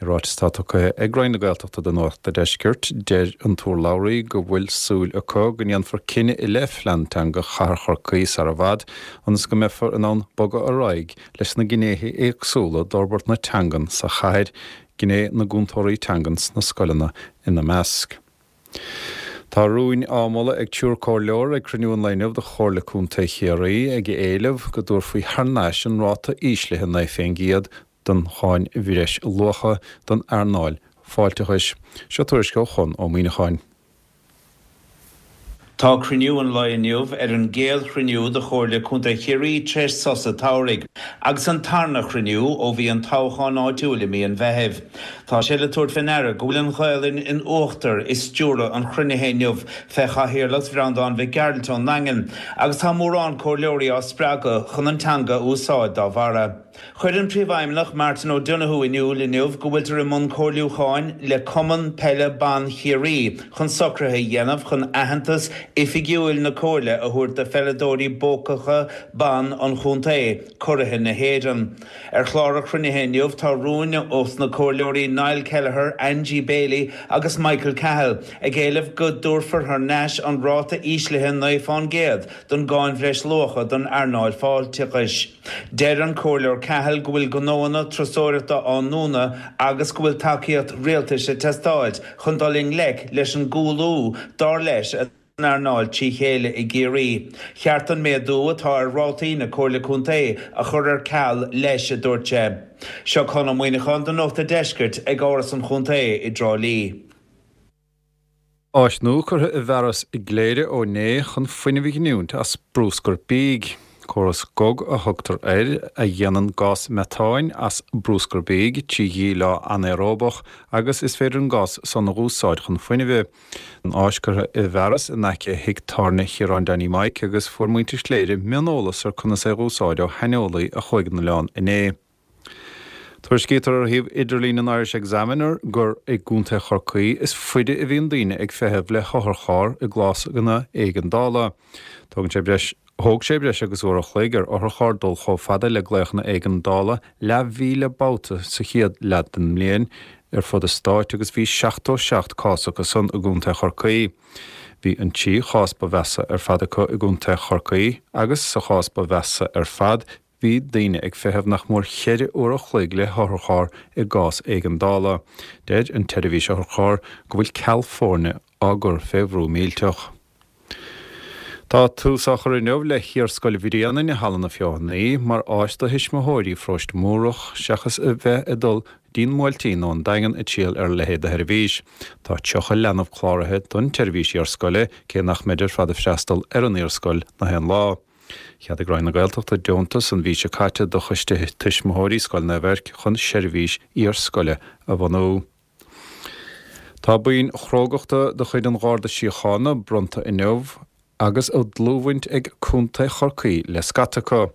S12: I ráiteas atá tugtha ag Roinn na Gaeltachta do Nuacht a' Deiscirt, deir an t-urlabhraí go bhfuil súil acu go ndéanfar cinneadh i leith phlean teanga Chathair Chorcaí sar i bhfad ionas go mbeifear in ann bogadh ar aghaidh leis na gnéithe éagsúla d'fhorbairt na teangan sa chathair, gné na gcúntóirí teangan sna scoileanna ina measc. Tá rúin á moladh ag triúr comhairleoir ag cruinniú an lae inniu de Chomhairle Contae Chiarraí ag éileamh go dtabharfaí thar n-ais an ráta íslithe 9 fén gcéad don cháin bhreis luacha don earnáil fáilteachais. Seo tuairisc ó Chonn Ó Muíneacháin.
S15: Tá cruinniú an lae inniu ar an gcéad chruinniú de Chomhairle Contae Chiarraí tar éis sosa tsamhraidh, agus an tarna chruinniú ó bhí an toghchán áitiúil i mí an Mheithimh. Tá sé le tabhairt fé ndeara go bhfuil an Ghaelainn in uachtar i stiúradh an chruinnithe inniu fé chathaoirleacht Bhreandán Mhic Gearailt ón nDaingean, agus tá mórán comhairleoirí á spreagadh chun an teanga a úsáid dá bharra. Chuir an Príomhfheidhmeannach Martin O'Donoghue in iúl inniu go bhfuiltear i mbun comhairliúcháin le Cumann Peile Ban Chiarraí chun socruithe a dhéanamh chun aitheantas oifigiúil na Comhairle a thabhairt do pheileadóirí buacacha ban an chontae, curaithe na hÉireann. Ar chlár an chruinnithe inniu tá rúin ós na comhairleoirí Niall Kelleher, Angie Bailey agus Michael Cahill ag éileamh go dtabharfar thar n-ais an ráta íslithe 9 fán gcéad don gcáin bhreisluacha don earnáil fáilteachais. Deir an Comhairleoir Cahill go bhfuil gnóanna turasóireachta á ndúnadh agus go bhfuil tacaíocht rialtais ag teastáilt chun dul i ngleic leis an gcúlú, dar leis, san earnáil trí chéile i gCiarraí. Cheart an méadú atá ar rátaí na Comhairle Contae a chur ar ceal leis, a dúirt sé. Seo Conn Ó Muíneacháin do Nuacht a' Deiscirt ag Áras an Chontae i dTrá Lí.
S12: Áis nua curtha i bhfearas i gCléire ó inné chun fuinneamh a ghiniúint as brúscar bídh. Córas gog a thugtar air, a dhéanann gás meatáin as brúscar bídh trí dhíleá anaeróbach agus is féidir an gás san a dh'úsáid chun fuinnimh. An áis curtha i bhfearas in aice thigh tábhairne Chiaráin Danny Mike agus fuair muintir Chléire mioneolas ar conas é dh'úsáid ó shaineolaí a chuaigh 'on oileán inné. Tuairiscítear ar shuíomh idirlín an Irish Examiner gur i gContae Chorcaí is faide a bhíonn daoine ag feitheamh le hotharcharr i gcásanna éigeandála. Tógann sé breis Thóg sé breis agus uair a chloig ar otharcharr dul chomh fada le glaochanna éigeandála leathmhíle babhta sa chéad leath den mbliain ar fud an stáit agus bhí 77 cás acu san i gContae Chorcaí. Bhí an trí chás ba mheasa ar fad acu i gContae Chorcaí agus sa chás ba mheasa ar fad Bhí daoine ag feitheamh nach mór cheithre uair a chloig le hotharcharr i gcás éigeandála. Deir an tseirbhís otharcharr go bhfuil ceal foirne á gcur fé bhrú millteach. Tá tús á chur inniu le hIarscoil Bhréanainn i Halla na Feothanaí mar áis do thuismitheoirí Pharóiste Múrach seachas a bheith ag dul dtí'n mBuailtín nó an Daingean ag triall ar a leithéid de sheirbhís. Tá 30 leanbh cláraithe don tseirbhís iarscoile cé nach mbeid ar fad ag freastal ar an iarscoil na haon lá. Cheadaigh Roinn na Gaeltachta deontas an mhí seo caite do Choiste Tuismitheoirí Scoil Naomh Eirc chun seirbhís iarscoile a bhunú. Tá boinn chrógachta de chuid an Gharda Síochána bronnta inniu agus a dlúthbhaint ag Contae Chorcaí le scata acu.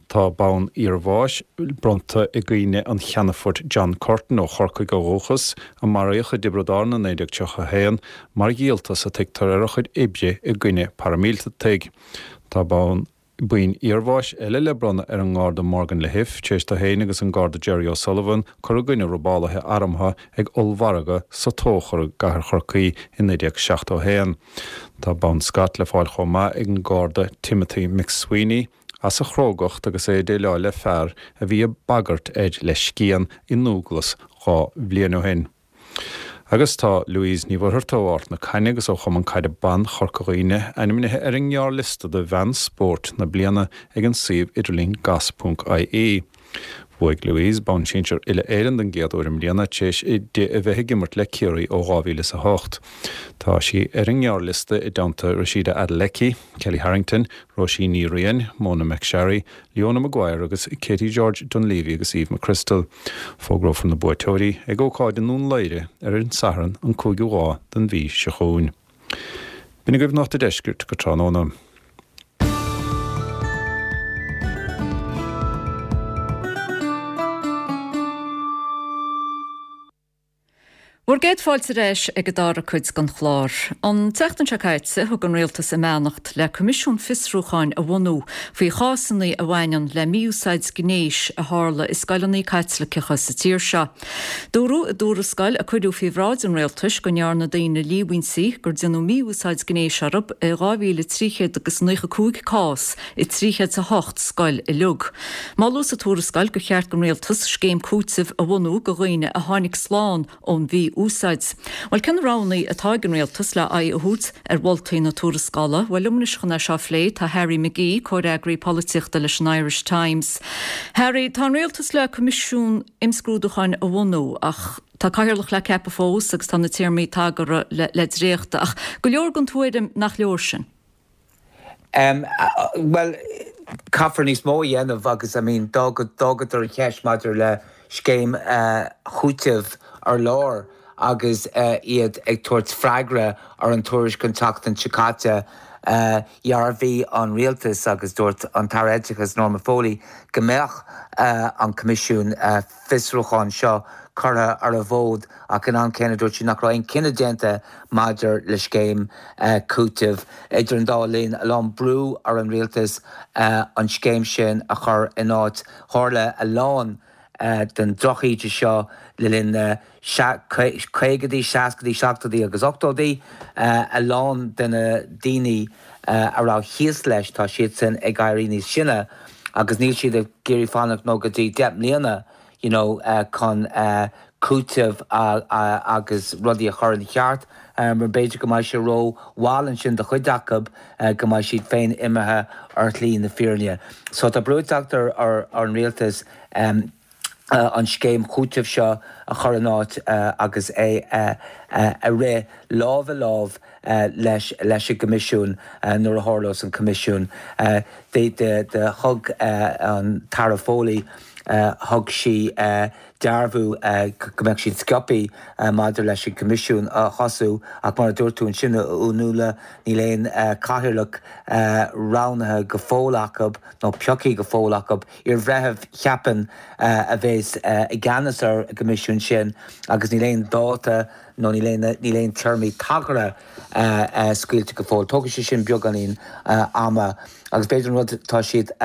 S12: Tá bonn iarbháis bronnta i gcuimhne an Cheannfoirt John Curtin ó Chorcaigh ó dhúchas, a maraíodh i dTiobraid Árann i 1931 mar dhíoltas a tuigtear ar a chuid oibre i gcoinne paraimíleataigh. Tá bonn boinn iarbháis eile le bronnadh ar an nGarda Morgan Lahiff tar éis dó féin agus an Garda Jerry O'Sullivan cur i gcoinne robálaithe armtha ag ollmhargadh sa Tóchar i gcathair Chorcaí i 1971. Tá bonn Scott le fáil chomh maith ag an Garda Timothy McSweeney as a chrógacht agus é ag déileáil le fear a bhí ag bagairt air le scian i nDúglas 2 bhliain ó shin. Agus tá Louise Ní Mhuircheartaigh ó Ard na Caithne agus ó Chumann Caide Ban Chorca Dhuibhne ainmnithe ar an ngearrliosta do Bhean Spóirt na Bliana ag an suíomh idirlín gas.ie. Bhuaigh Louise bonn sinsir uile-Éireann den gcéad uair i mbliana tar éis di a bheith ag imirt le Ciarraí ó 2008. Tá sí ar an ngearrliosta i dteannta Rhasidat Adeleke, Kellie Harrington, Róisín Ní Riain, Mona McSharry, Leona Maguire agus Katie George Dunleavy agus Eve McCrystal. Fógrófar na buaiteoirí ag ócáid i nDún Laoghaire ar an Satharn an 5ú lá den mhí seo chugainn. B'in agaibh Nuacht a' Deiscirt go tráthnóna.
S1: Bhur gcéad fáilte ar ais ag an dara cuid den chlár. An tseachtain seo caite, thug an Rialtas a mbeannacht le coimisiún fiosrúcháin a bhunú faoi chásanna a bhaineann le mí-úsáid gnéis a tharla i scoileanna Caitliceacha sa tír seo. Dúradh i dtuarascáil a cuireadh faoi bhráid an Rialtais go ndearna daoine líomhaintí gur déanadh mí-úsáid gnéis orthu i 2,395 cás i 308 scoil uilig. Moladh sa tuarascáil gur cheart don Rialtas scéim cúitimh a bhunú do dhaoine a tháinig slán ón mhí-úsáid. Bhuel, cé na roghanna atá ag an Rialtas le aghaidh a thabhairt ar mholtaí na tuarascála? Bhuel, liom anois chun é seo a phlé tá Harry McGee, comhfhreagraí polaitíochta leis an Irish Times. Harry, tá an Rialtas le coimisiún imscrúdúcháin a bhunú ach tá cathaoirleach le ceapadh fós agus tá na téarmaí tagartha le dréachtadh ach go leor den tuairim nach leor sin.
S16: Bhuel, caithfear níos mó a dhéanamh agus I mean d'fhágadar an cheist maidir le scéim chúitimh ar lár agus iad ag tabhairt freagra ar an tuairisc an tseachtain seo caite. Dhearbhaigh an rialtas agus dúirt an tAire Oideachais Norma Foley go mbeadh an Coimisiún fiosrúcháin seo curtha ar an bhfód ach in am céanna dúirt sí nach raibh aon cinneadh déanta maidir le scéim cúitimh. Idir an dá linn, a lán brú ar an rialtas an scéim sin a chur in áit. Tharla a lán den drochíde seo le linn na caogaidí, seascaidí, seachtóidí agus ochtóidí. A lán de na daoine a raibh thíos leis, tá siadsan ag éirí níos sine agus níl siad ag iarraidh fanacht nó go dtí 10 mbliana you know chun cúiteamh agus rudaí a chur ina cheart mar b'fhéidir go mbeidh sé ró mhall ansin do chuid acu go mbeidh siad féin imithe ar shlí na fírinne. So tá brú ag teacht ar an rialtas an scéim chúitimh seo a chur in áit agus é a rith lámh i lámh leis leis an gCoimisiún nuair a tharlós an Coimisiún. Do thug an tAire Foley, thug sí dearbhú go mbeadh siad sciobthaí maidir leis an gCoimisiún a thosú ach mar a dúirt tú ansin a Fhionnuala, níl aon chathaoirleach roghnaithe go fóill acu nó pioctha go fóill acu. Iarbhreitheamh, cheapfainn, a bheas i gceannas ar an gcoimisiún sin agus níl aon dáta nó níl aon níl aon téarmaí tagartha scaoilte go fóill. Tógfaidh sé sin beagáinín ama agus b'fhéidir an rud atá siad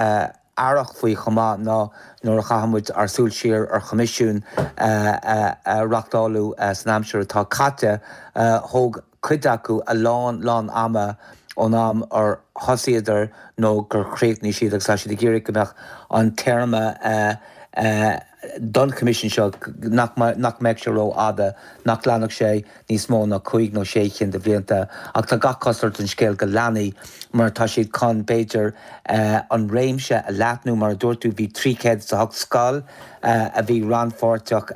S16: aireach faoi chomh maith ná nuair a chaitheann muid ár súil siar ar choimisiúin a reachtáladh san aimsir atá caite, thóg cuid acu a lán, lán ama ón am ar thosaíodar nó gur chríochnaigh siad agus tá siad ag iarraidh go mbeadh an téarma don choimisiún seo, nach mbeadh sé rófhada, nach leanfadh sé níos mó ná cúig nó sé chinn de bhlianta. Ach tá gach cosúlacht ar an scéal go leanfaidh mar tá siad chun, b'fhéidir, an réimse a leathnú. Mar a dúirt tú, bhí 308 scoil a bhí rannpháirteach.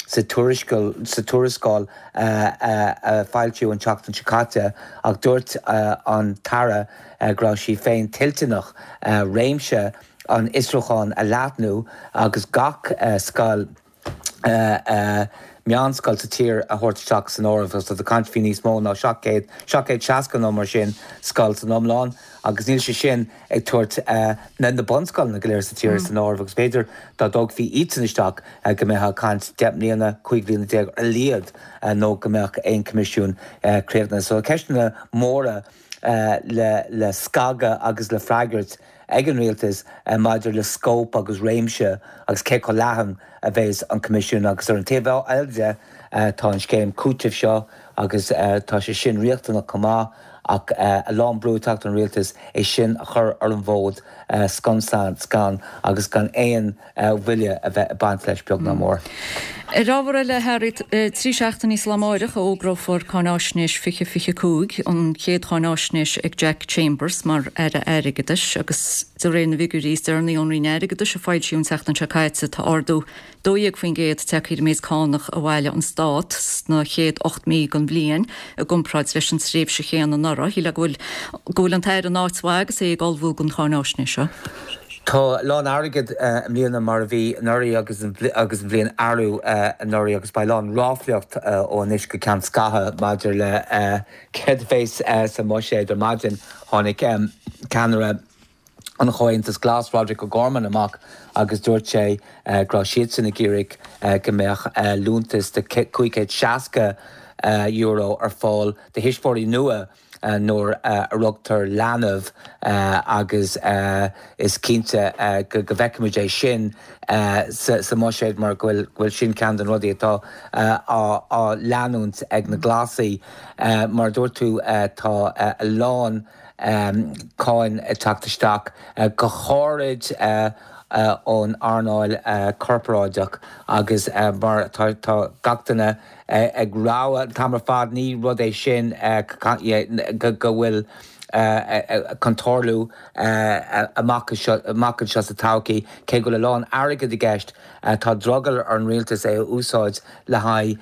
S16: sa tuarascáil a foilsíodh an tseachtain seo caite ach dúirt an tAire go raibh sí féin toilteanach réimse an fhiosrúcháin a leathnú agus gach scoil meánscoil sa tír a thabhairt isteach san áireamh. Tá caint faoi níos mó ná 700, 760 nó mar sin scoil san iomlán agus níl sé sin ag tabhairt na bunscoileanna go léir sa tír san áireamh agus b'fhéidir dá dtógfaí iadsan isteach go mbeifeá ag caint 10 mbliana, 15 bliana ar a laghad nó go mbeadh aon choimisiún críochnaithe. So ceisteanna móra le scagadh agus le freagairt ag an rialtas maidir le scóip agus réimse agus cé chomh leathan a bheas an coimisiún agus ar an taobh eile de tá an scéim cúitimh seo agus tá sé sin riachtanach chomh maith ach a lán brú ag teacht ar an rialtas é sin a chur ar an bhfód scun scan agus gan aon mhoill a bheith ag baint leis beag ná mór.
S1: Ar ábhar eile, a Harry, 3 seachtainí is lá amáireach a fhógrófar Cáináisnéis 2025, an chéad cháináisnéis ag Jack Chambers mar Aire Airgeadais agus de réir na bhfigiúirí is deireanaí ón Roinn Airgeadais a foilsíodh an tseachtain seo caite tá ardú 12% tagtha ar an méid cánach a bhailigh an Stát sna chéad 8 mí den bhliain i gcomparáid leis an tréimhse chéanna anuraidh. Shílfeá go bhfuil go bhfuil an tAire in áit mhaith agus é ag ullmhú don cháináisnéis seo.
S16: Tá a lán airgid i mbliana mar a bhí anuraidh agus an agus an bhliain arú anuraidh agus beidh a lán ráflaíocht ó anois go ceann scaithimh maidir le céard a bheas sa mbuiséad. Ar maidin tháinig ceannaire. an Chomhaontas Glas, Roderic O'Gorman amach agus dúirt sé go raibh siadsan ag iarraidh go mbeadh liúntas de €560 ar fáil do thuismitheoirí nua nuair a rugtar leanbh agus is cinnte go bhfeicfimid é sin sa mbuiséad mar go bhfuil sin ceann de na rudaí atá á leanúint ag na Glasaigh. Mar a dúirt tú tá a lán cáin ag teacht isteach, go háirid ón earnáil corparáideach agus mar tá gach duine ag rabhadh an t-am ar fad, ní rud é sin go bhfuil chun tarlú amach anseo sa todhchaí. Cé go bhfuil a lán airgid i gceist, tá drogall ar an rialtas é a úsáid le haghaidh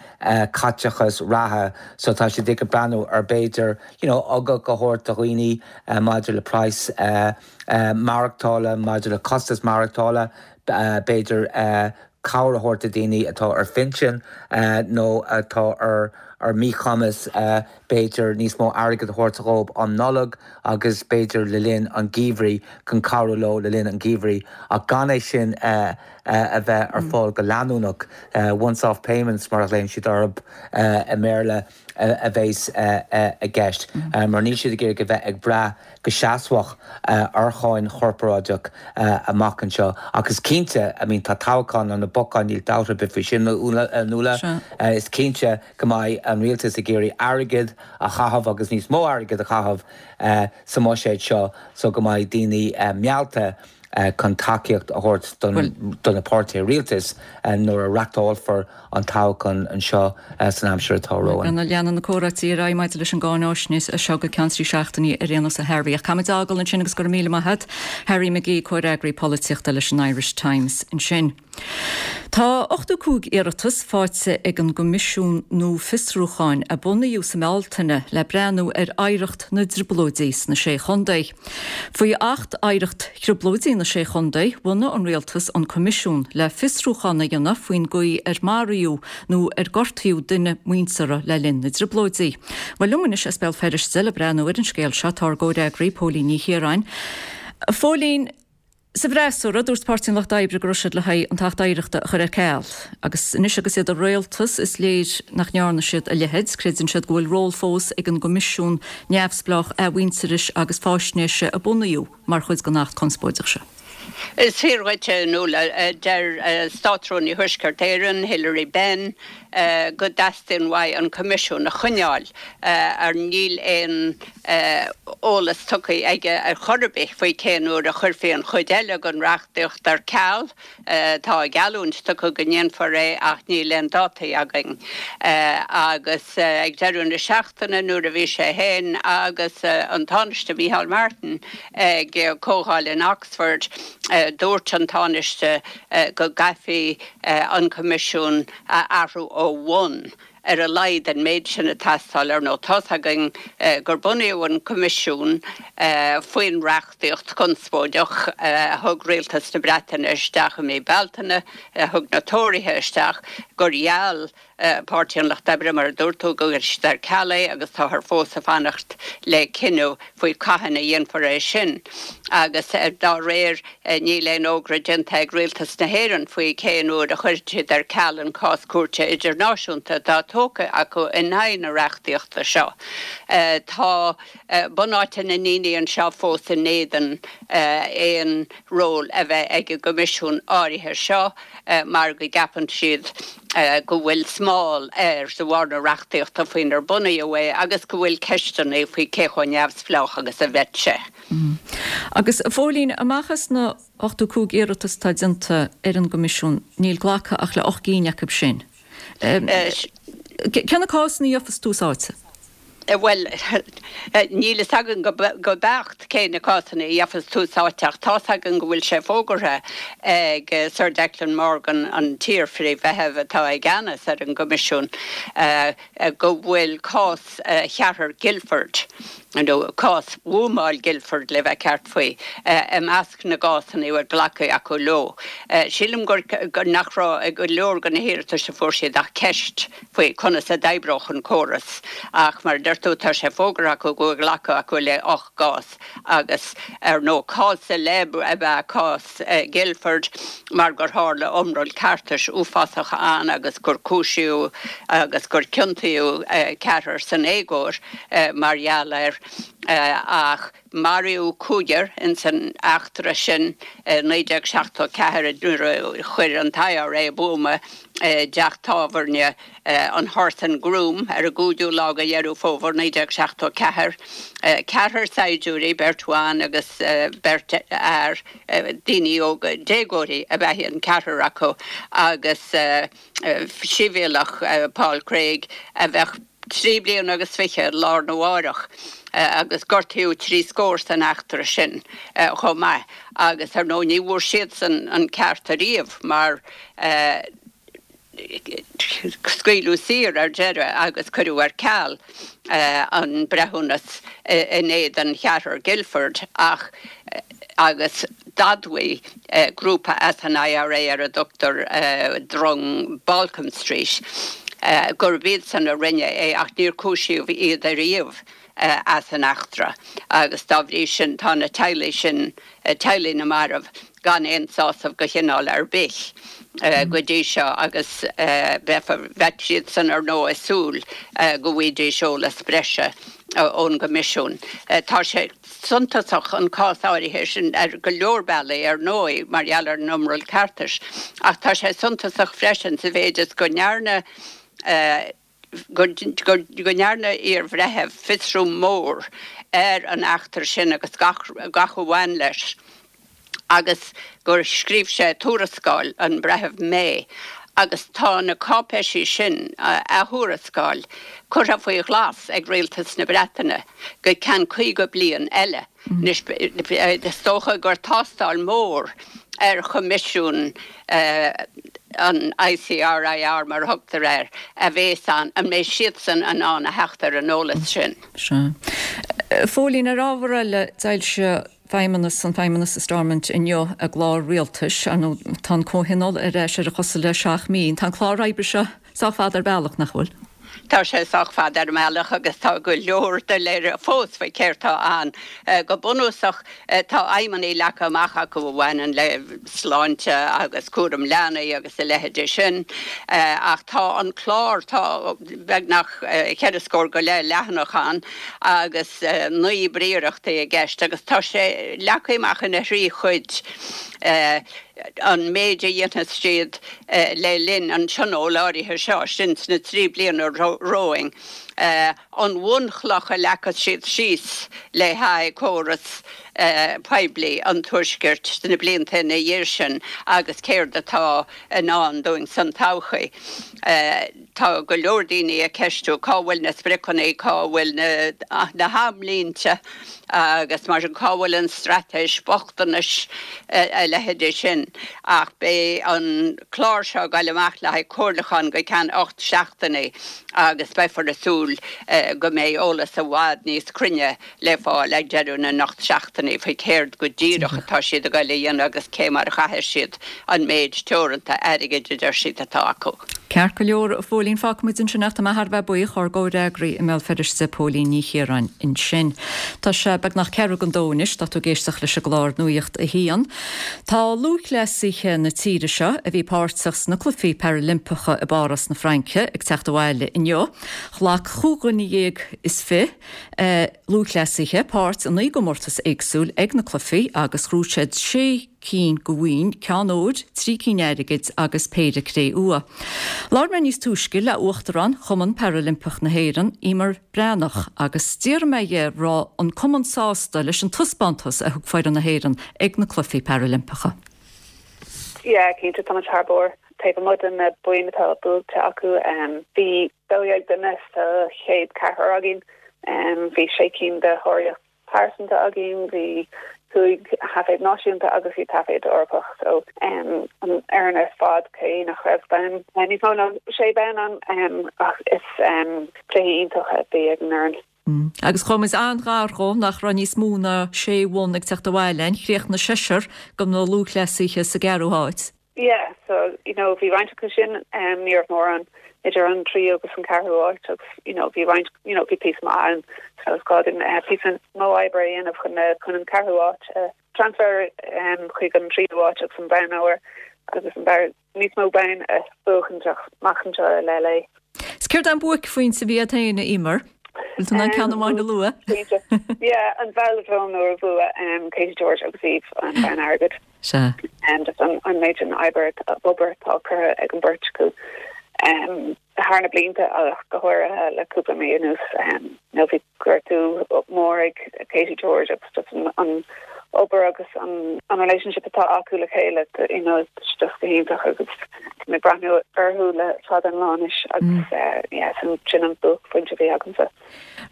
S16: caiteachas reatha so tá siad ag breathnú ar b'fhéidir you know ugach a thabhairt do dhaoine maidir le praghas maireachtála, maidir le costas maireachtála, b'fhéidir cabhair a thabhairt do dhaoine atá ar phinsean nó atá ar ar míchumas, b'fhéidir níos mó airgid a thabhairt dhóibh um Nollaig agus b'fhéidir le linn an gheimhridh chun cabhrú leo le linn an gheimhridh ach gan é sin a bheith ar fáil go leanúnach, once off payments mar a ghlaonn siad orthu i mBéarla. a bheas i gceist, mar níl siad ag iarraidh a bheith ag brath go seasmhach ar cháin chorparáideach amach anseo. Ach is cinnte, I mean, tá toghchán ar na bacáin, níl dabht ar bith faoi sin, a Nuala. Is cinnte go mbeidh an rialtas ag iarraidh airgead a chaitheamh agus níos mó airgid a chaitheamh sa mbuiséad seo so go mbeidh daoine meallta chun tacaíocht a thabhairt do na páirtithe rialtais nuair a reachtálfar an toghchán anseo san aimsir atá romhainn.
S1: Leanfaidh na comhráití ar aghaidh maidir leis an gcáináisnéis seo go ceann 3 seachtainí ar aon nós a Harry. Ach caithfimid a fhágáil ansin agus go raibh míle maith agat. Harry McGee, comhfhreagraí polaitíochta leis an Irish Times ansin. Tá 85 iarratas faighte ag an gCoimisiún nua Fiosrúcháin a bunaíodh sa mBealtaine le breathnú ar oidhreacht na dTrioblóidí sna Sé Chontae. Faoi Acht Oidhreacht Thrioblóidí na Sé Chontae, bhunaigh an Rialtas an Coimisiún le fiosrúchán a dhéanamh faoin gcaoi ar maraíodh nó ar gortaíodh duine muinteartha le linn na dTrioblóidí. Bhuel, liom anois as Béal Feirste le breathnú ar an scéal seo tá ár gcomhfhreagraí Póilín Ní Chiaráin. A Phóilín, Sa bhfreasúra, dúirt Páirtí an Lucht Oibre go raibh siad le haghaidh an tAcht Oidhreachta a chur ar ceal. Agus anois agus iad i rialtas, is léir nach ndearna siad a leithéid. Creideann siad go bhfuil ról fós ag an gCoimisiún neamhspleách Athmhuintearais agus Faisnéise a bunaíodh mar chuid den Acht conspóideach seo.
S17: Is fíor dhuit, a Nuala. Deir Státrúnaí Thuaisceart Éireann, Hilary Benn, go dteastaíonn uaidh an Coimisiún a choinneáil ar níl aon eolas tugtha aige ar chor ar bith faoi cén uair a chuirfí an chuid eile den reachtaíocht ar ceal. Tá geallúint tugtha go ndéanfar é ach níl aon dátaí againn. Agus ag deireadh na seachtaine nuair a bhí sé féin agus an Tánaiste Micheál Martin ag comhdháil in Oxford dúirt an Tánaiste go gcaithfí an Coimisiún a athrú ó bhun. Ar a laghad an méid sin ag teastáil. Ar ndóigh, tá's againn gur bunaíodh an Coimisiún faoin reachtaíocht chonspóideach a thug Rialtas na Breataine isteach i mí Bealtaine, a thug na Tóraithe isteach, gur gheall Páirtí an Lucht Oibre, mar a dúirt tú, go gcuirfidh siad ar ceal é agus táthar fós ag fanacht le cinneadh faoi cathain a dhéanfar é sin. Agus dá réir, Níl aon fhógra déanta ag Rialtas na hÉireann faoi cén uair a chuirfidh siad ar ceal an cás cúirte idirnáisiúnta atá tógtha acu in aghaidh na reachtaíochta seo. Tá bunáite na ndaoine anseo fós in éadan aon ról a bheith ag an gCoimisiún áirithe seo mar go gceapann siad go bhfuil smál air de bharr na reachtaíochta faoinar bunaíodh é agus go bhfuil ceisteanna faoi cé chomh neamhspleách agus a bheidh sé.
S1: Agus, a Phóilín, amach as na 85 iarratas atá déanta ar an gCoimisiún, níl glactha ach le 8 gcinn acu sin. Cé na cásanna a gheofas tús áite?
S17: Bhuel, níl fhios againn go beacht cé na cásanna a gheofas tús áite ach tá's againn go bhfuil sé fógartha ag Sir Declan Morgan, an t-iar-Phríomh-Bhreitheamh atá i gceannas ar an gCoimisiún, go bhfuil cás cheathrar Guildford, nó cás bhuamáil Guildford le bheith ceart faoi, i measc na gcásanna a bhfuil glactha acu leo. Sílim gur nach raibh i go leor de na hiarratais a fuair siad ach ceist faoi conas a d'oibreodh an córas ach mar a deir. deir tú, tá sé fógartha acu go bhfuil glactha acu le 8 gcás agus, ar ndóigh, cás celeb ab ea cás Guildford mar gur tharla iomrall ceartais uafásach ann agus gur cúisíodh agus gur ciontaíodh ceathrar san éagóir mar gheall air ach Maraíodh cúigear ins an eachtra sin i 1974 nuair a chuir an t-IRA buama i dteach tábhairne an Horse and Groom ar an gcúigiú lá de Dheireadh Fómhair 1974. Ceathrar saighdiúirí, beirt bhan agus beirt fhear, daoine óga, déagóirí ab ea an ceathrar acu agus sibhialtach Paul Craig a bheadh 23 bliana lá arna mháireach agus gortaíodh 30 scór san eachtra sin chomh maith agus ar ndóigh ní bhfuair siadsan an ceart ariamh mar scaoileadh saor ar deireadh agus cuireadh ar ceal an breithiúnas in éadan cheathrar Guildford ach agus d'admhaigh grúpa as an IRA ar a dtugtar Drong Balcombe Street gurb iadsan a rinne é ach níor cúisíodh iad ariamh as an eachtra agus dá bhrí sin tá na teaghlaigh sin, teaghlaigh na marbh, gan aon sásamh de chineál ar bith go dtí seo agus bheadh siadsan ar ndóigh ag súil go bhfaighidís eolas breise ón gCoimisiún. Tá sé. suntasach an cás áirithe sin ar go leor bealaí, ar ndóigh, mar gheall ar an iomrall ceartais, ach tá sé suntasach freisin sa mhéid is go ndearna go ndearna iar-bhreitheamh fiosrú mór ar an eachtra sin agus gach gach a bhain leis agus gur scríobh sé tuarascáil, an Breitheamh May, agus tá na cáipéisí sin, a thuarascáil, curtha faoi ghlas ag Rialtas na Breataine go ceann 50 bliain eile. Anois, is dócha gur tástáil mhór ar Choimisiún an ICRIR, mar a thugtar air, a bhéas ann, an mbeidh siadsan in ann a theacht ar an eolas sin.
S1: Sea. A Phóilín, ar ábhar eile, d'fhoilsigh Feidhmeannas, an Feidhmeannas i Stormont inniu a gclár rialtais. Ar ndóigh, tá an Comhthionól ar ais ar a chosa le 7 mí. Tá an clár oibre seo sách fada ar bealach, nach bhfuil?
S17: Tá sé sách fada ar an mbealach agus tá go leor doiléire fós faoi céard tá ann. Go bunúsach, tá aidhmeanna leagtha amach acu a bhaineann le sláinte agus cúram leanaí agus a leithéidí sin ach tá an clár, tá beagnach cheithre scór go leith leathanach ann agus 9 bpríorachtaí i gceist agus tá sé leagtha amach ina thrí chuid, an méid a dhéanfas siad le linn an tionóil áirithe seo, sin sna 3 bliana romhainn, an bhunchloch a leagfas siad síos le haghaidh córas poiblí an Tuaiscirt sna blianta ina dhiaidh sin agus céard atá i ndán dúinn san todhchaí. Tá go leor daoine ag ceistiú cá bhfuil na spriocanna, cá bhfuil na hamlínte agus mar sin, cá bhfuil an straitéis bochtanais, a leithéidí sin. Ach beidh an clár seo ag goil amach le haghaidh comhairliúchán go ceann 8 seachtainí agus beifear ag súil go mbeidh eolas i bhfad níos cruinne le fáil ag deireadh na n-ocht seachtainí faoi céard go díreach atá siad ag goil a dhéanamh agus cé mar a chaithfidh siad an méid teoranta airgid a deir siad atá acu.
S1: Ceart go leor, a Phóilín, fágfaidh muid ansin ach tá mé thar a bheith buíoch, ár gcomhfhreagraí i mbéal Feirste, Póilín Ní Chiaráin ansin. Tá sé beagnach ceathrú don dó anois, tá tú ag éisteacht leis an gclár Nuacht a hAon. Tá lúthchleasaithe na tíre seo a bhí páirteach sna Cluichí Parailimpeacha i bPáras na Fraince ag teacht abhaile inniu. Ghlac 25 dhuine lúthchleasaithe páirt i 9 gcomórtas éagsúil ag na cluichí agus ghnóthaigh siad sé cinn de bhoinn, ceann óir, 3 cinn airgid agus péire cré-umha. Labhair mé níos túisce le Uachtarán Chumann Parailimpeach na hÉireann, Emer Breathnach, agus d'fhiafraigh mé dhe raibh an cumann sásta leis an taispeántas a thug foireann na hÉireann ag na Cluichí Parailimpeacha.
S18: Yeah, cinnte, tá muid thar barr. Taobh amuigh de na boinn atá buaite acu, bhí 12 duine sa chéad ceathrar againn. Bhí sé cinn de sháraíocht pearsanta againn, bhí cúig thaifead náisiúnta agus bhí taifead Eorpach. So an fhoireann ar fad, cé nach raibh bonn, níos mó ná sé bonn ann, ach is cluichí iontach a bhí ag an
S1: bhfoireann. Agus chuaigh muid an-ghar dhó nach raibh níos mó ná sé bhonn ag teacht abhaile linn. Chríochnaigh seisear de na lúthchleasaithe sa gceathrú háit.
S18: Yeah, so, you know, bhí roinnt acu sin, ní raibh mórán idir an tríú agus an ceathrú áit agus, you know, bhí roinnt, you know, bhí píosa maith ann so is gá dúinn píosa mó oibre a dhéanamh chun na, chun an ceathrú áit a transfer chuig an tríú áit agus an bonn óir agus an bonn, níos mó bonn a bhuachan amach anseo i LA.
S1: 'S céard é an buaicphointe a bhí agat féin, a Emer? Bhfuil tú in ann ceann amháin a lua?
S18: Yeah, an veladrome nuair a bhuaigh Katie George agus Eve an bonn airgid.
S1: Sea.
S18: Just an méid sin oibre, obair atá curtha ag an beirt acu thar na blianta ach go háirithe le cúpla mí anuas. You know, bhí gortú mór ag Katie George agus just an obair agus an relationship atá acu le chéile, you know, just go hiontach agus tá mé ag breathnú orthu le fada an lá anois agus yeah, sin an buaicphointe a bhí agamsa.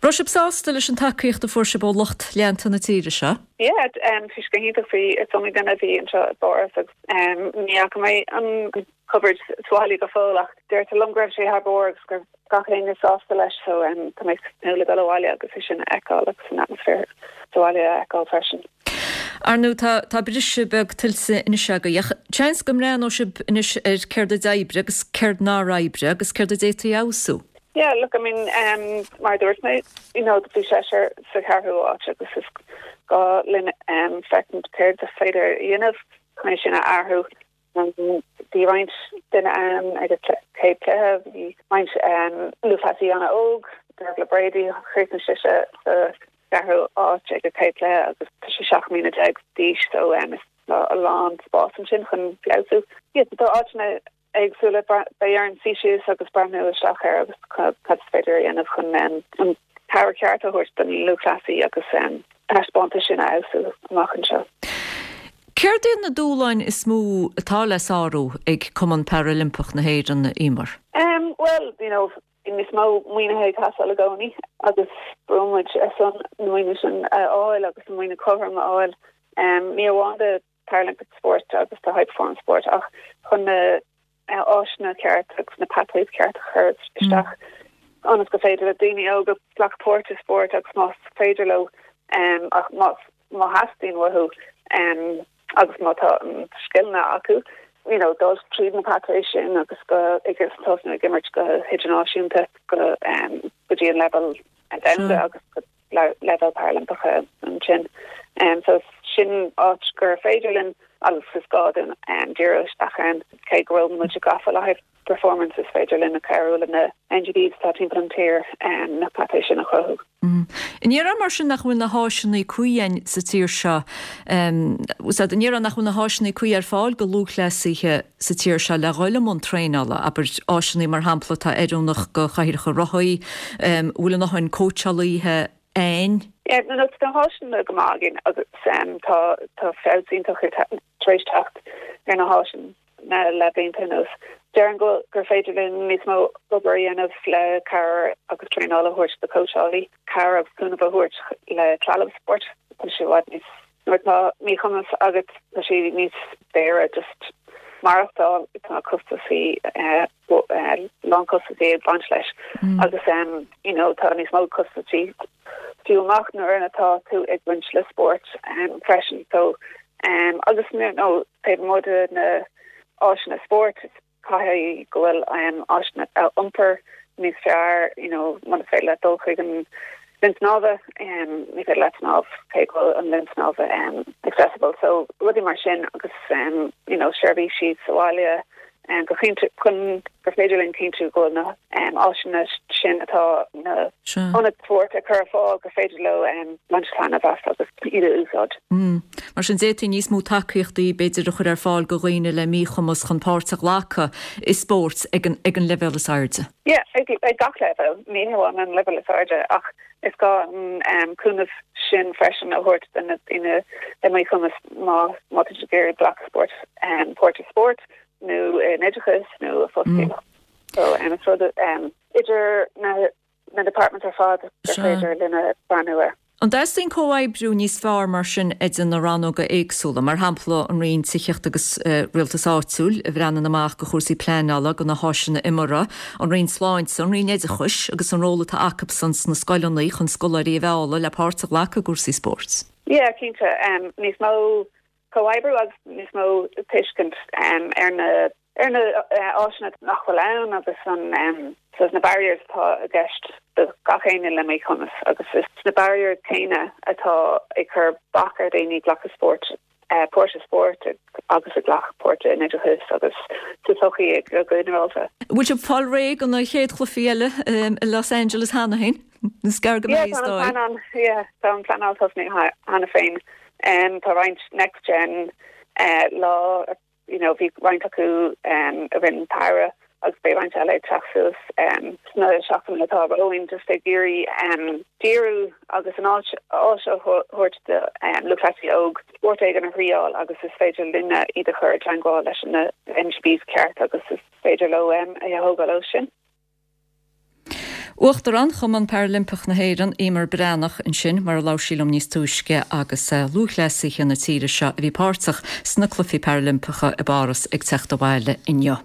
S1: Raibh sibh sásta leis an tacaíocht a fuair sibh ó lucht leanta na tíre seo?
S18: Yeah, bhí sé go hiontach. Bhí, is iomaí duine a bhí anseo i bPáras agus ní fhaca mé an coverage sa bhaile go fóill ach deirtear liom go raibh sé thar barr agus go raibh gach éinne sásta leis so tá mé ag tnúth le dul abhaile agus é sin a fheiceáil agus an atmaisféar sa bhaile a fheiceáil freisin.
S1: Ar ndóigh tá, tá briseadh beag tuillte anois agaibh ach seans go mbreathnóidh sibh anois ar céard a d'oibrigh agus céard nár oibrigh agus céard a d'fhéadfaí a fheabhsú.
S18: Yeah, look, I mean, um, mar a dúirt mé, you know, bhí seisear sa cheathrú áit agus is gá linn um, féachaint céard is féidir a dhéanamh chun é sin a athrú. Um, bhí roinnt duine ann ag an chéad cluiche, bhí roinnt um, lúthchleasaí an-óg, Dervla Brady, chríochnaigh sise sa cheathrú áit ag an chéad cluiche agus tá sí 17 mbliana d'aois, so um, is tá a lán spás ansin chun feabhsú. Yeah, tá áiteanna éagsúla. Beidh orainn suí síos agus breathnú isteach air agus cad is féidir a dhéanamh chun an cabhair cheart a thabhairt don lúthchleasaí agus an taispeántas sin a fheabhsú amach anseo.
S1: Céard iad na dúshláin is mó atá le sárú ag Cumann Parailimpeach na hÉireann, a Emer?
S18: Bhuel, you know, níos mó maoinithe ag teastáil i gcónaí agus brúnn muid ar son na maoiniú sin a fháil agus an maoiniú cothrom a fháil. Ní amháin do Paralympic sport agus do high performance sport ach chun na áiseanna ceart agus na pathways ceart a chur isteach ionas go féidir le daoine óga glacadh páirt i spórt agus más féidir leo ach más má theastaíonn uathu agus má tá an scileanna acu you know dul tríd na pathways sin agus go ag tosnú ag imirt go hidirnáisiúnta go go dtí an leibhéal domhanda agus go leibhéal Parailimpeacha ansin. So sin áit gur féidir linn agus is gá dúinn díriú isteach ann. Cé go bhfuil muid gafa le high performance is féidir linn cabhrú le na NGBs atá timpeall an tír na pathways sin a chruthú.
S1: An ndéarfá mar sin nach bhfuil na háiseanna cuí againn sa tír seo, an ndéarfá nach bhfuil na háiseanna cuí ar fáil do lúthchleasaithe sa tír seo le dhul i mbun traenála, abair, áiseanna mar shampla atá oiriúnach do chathaoireacha rothaí, an bhfuil a ndóthain cóitseálaithe ann?
S18: Yeah, no, tá na háiseanna go maith againn agus tá tá feabhas iontach tar éis teacht ar na háiseanna le blianta anuas. Déarfainn go gur féidir linn níos mó obair a dhéanamh le cabhair agus traenáil a thabhairt do cóitseálaí, cabhair agus cúnamh a thabhairt le trealamh spóirt. Tá sé i bhfad níos Nuair atá míchumas agat tá sé níos daora just maireachtáil, tá costasaí, lán costasaí ag baint leis agus you know tá níos mó costasaí fiú amach nuair atá tú ag baint le spórt freisin so agus you know taobh amuigh de na áiseanna spóirt Caithfidh go bhfuil áiseanna iompair níos fearr, you know, muna féidir leat dul chuig an linn snámha, ní féidir leat snámh cé go bhfuil an linn snámha accessible. So rudaí mar sin agus you know, seirbhísí sa bhaile go cinnte chun gur féidir linn cinntiú go bhfuil na áiseanna sin atá na ionaid spóirt ag cur ar fáil gur féidir leo baint taitneamh as agus iad a úsáid.
S1: Mar sin, d'fhéadfaí níos mó tacaíochtaí, b'fhéidir, a chur ar fáil do dhaoine le míchumas chun páirt a ghlacadh i spórt ag an ag an leibhéal is airde.
S18: Yeah, ag gach leibhéal, ní hamháin an leibhéal is airde, ach is gá an cúnamh sin freisin a thabhairt do na daoine le míchumas má má tá siad ag iarraidh glacadh spóirt, páirt i spórt nó in oideachas nó i bhfostaíocht. So, is rud idir na na departments ar fad gur féidir linn a breathnú air.
S1: An dteastaíonn comhoibriú níos fearr mar sin idir na rannóga éagsúla, mar shampla an Roinn Tithíochta agus Rialtais Áitiúil a bhreathnaíonn amach do chúrsaí pleanála, do na háiseanna imeartha, an Roinn Sláinte, an Roinn Oideachais agus an ról atá acubsan sna scoileanna chun scoláirí a mhealladh le páirt a ghlacadh i gcúrsaí spóirt?
S18: Yeah, cinnte. Níos mó. comhoibriú agus níos mó tuiscint ar na ar na áiseanna nach bhfuil ann agus an saghas na barriers atá i gceist do gach éinne le míchumas agus is na barriers céanna atá ag cur bac ar dhaoine glacadh spóirt páirt i spórt agus ag glacadh páirt in oideachas agus sa tsochaí go ginearálta.
S1: Bhfuil sibh ag fáil réidh do na chéad chluichí eile i Los Angeles cheana féin? Is gearr go mbeidh, is
S18: dóigh. Yeah, tá an pleanáil tosnaithe cheana féin. Tá roinnt Next Gen lá you know bhí roinnt acu i rith an tsamhraidh agus beidh roinnt eile ag teacht suas sna seachtainí atá romhainn just ag iarraidh díriú agus an áit áis a thabhairt do lúthchleasaí óg spórt éigin a thriáil agus is féidir linne iad a chur i dteangmháil leis na MGBs ceart agus is féidir leo é a thógáil ó sin.
S1: Uachtarán Chumann Parailimpeach na hÉireann, Emer Breathnach, ansin, mar a labhair sí liom níos túisce, agus lúthchleasaithe na tíre seo a bhí páirteach sna Cluichí Parailimpeacha i bPáras ag teacht abhaile inniu.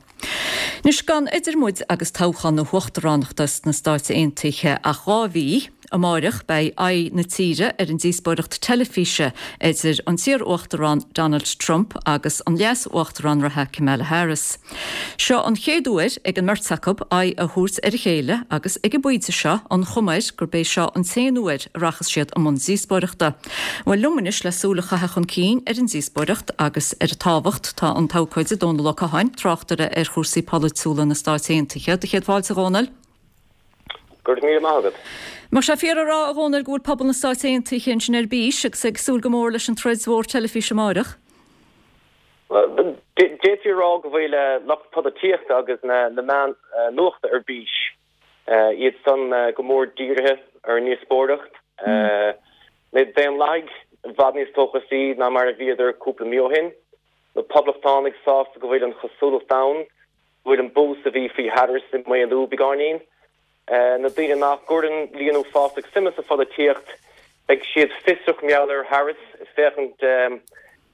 S1: Anois, gan idir muid agus toghchán na huachtaránachta sna Stáit Aontaithe ach 2 mhí, Amáireach beidh aghaidh na tíre ar an díospóireacht teilifíse idir an t-iar-uachtarán Donald Trump agus an leas-uachtarán reatha Kamala Harris. Seo an chéad uair ag an mbeirt acu aghaidh a thabhairt ar a chéile agus ag an bpointe seo an chuma air gurb é seo an t-aon uair a rachas siad i mbun díospóireachta. Bhuel liom anois le súil a chaitheamh chun cinn ar an díospóireacht agus ar a tábhacht tá an t-abhcóide Dónal Ó Catháin, tráchtaire ar chúrsaí polaitiúla na Stáit Aontaithe. Do chéad fáilte a Dhónaill.
S19: Go raibh míle maith agat.
S1: Mbeadh sé fíor a rá, a Dhónaill, go bhfuil pobal na Stáit Aontaithe ansin ar bís agus ag súil go mór leis an troid mhór teilifíse amáireach?
S19: D'fhéadfaí a rá go bhfuil lucht polaitíochta agus na meáin nuachta ar bís. Iad san go mór dírithe ar an ndíospóireacht. Na Daonlathaigh i bhfad níos dóchasaí ná mar a bhíodar cúpla mí ó shin. Na Poblachtánaigh sásta go bhfuil an chosúlacht ann go bhfuil an bús a bhí faoi Harris ag maolú beagáinín. Na daoine nach gcuireann líon uafásach suime sa pholaitíocht, beidh siad fiosrach mar gheall ar Harris, ag féachaint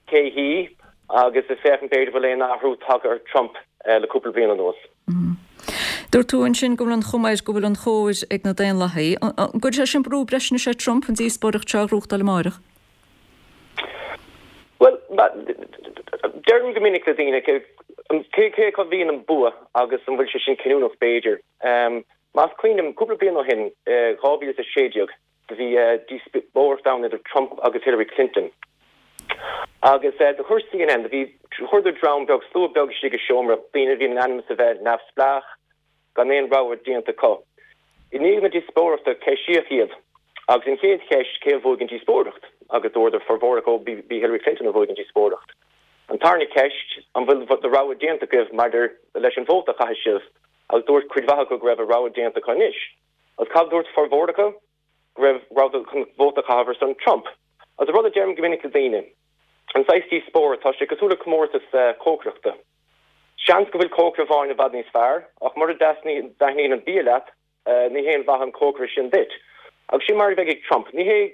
S19: cé hí agus ag féachaint b'fhéidir bhfuil aon athrú tagtha ar Trump le cúpla bliain anuas.
S1: Dúirt tú ansin go bhfuil an chuma air go bhfuil an chóir ag na Daonlathaigh. An gcuirfidh sé sin brú breise anois ar Trump an díospóireacht seo a ghnóthachtáil amáireach?
S19: Bhuel, deirim go minic le daoine, cé acu a bhíonn an bua agus an bhfuil sé sin cinniúnach b'fhéidir. Más cuimhin liom, cúpla bliain ó shin, 2016, do bhí díospóireacht ann idir Trump agus Hillary Clinton. Agus do chuir CNN, do bhí, chuireadar dream beag, slua beag istigh i seomra, daoine a bhí in ainm is a bheith neamhspleách, gan aon rogha déanta acu. I ndiaidh na díospóireachta ceistíodh iad agus an chéad cheist cé a bhuaigh an díospóireacht agus dúradar formhór acu b'í Hillary Clinton a bhuaigh an díospóireacht. An tarna ceist an bhfuil do rogha déanta agaibh maidir leis an vóta a chaithfidh sibh agus dúirt cuid mhaith acu go raibh a rogha déanta acu anois. Agus cad a dúirt formhór acu? Go raibh rabhadar chun vóta a chaitheamh ar son Trump. Agus an rud a deirim go minic le daoine, an saghas díospóireacht, tá sé cosúil le comórtas cócaireachta. Seans go bhfuil cócaire amháin i bhfad níos fearr, ach mura dtaitníonn an bia leat, ní haon mhaith an cócaire sin duit. Agus sin mar a bheidh ag Trump. Ní hé,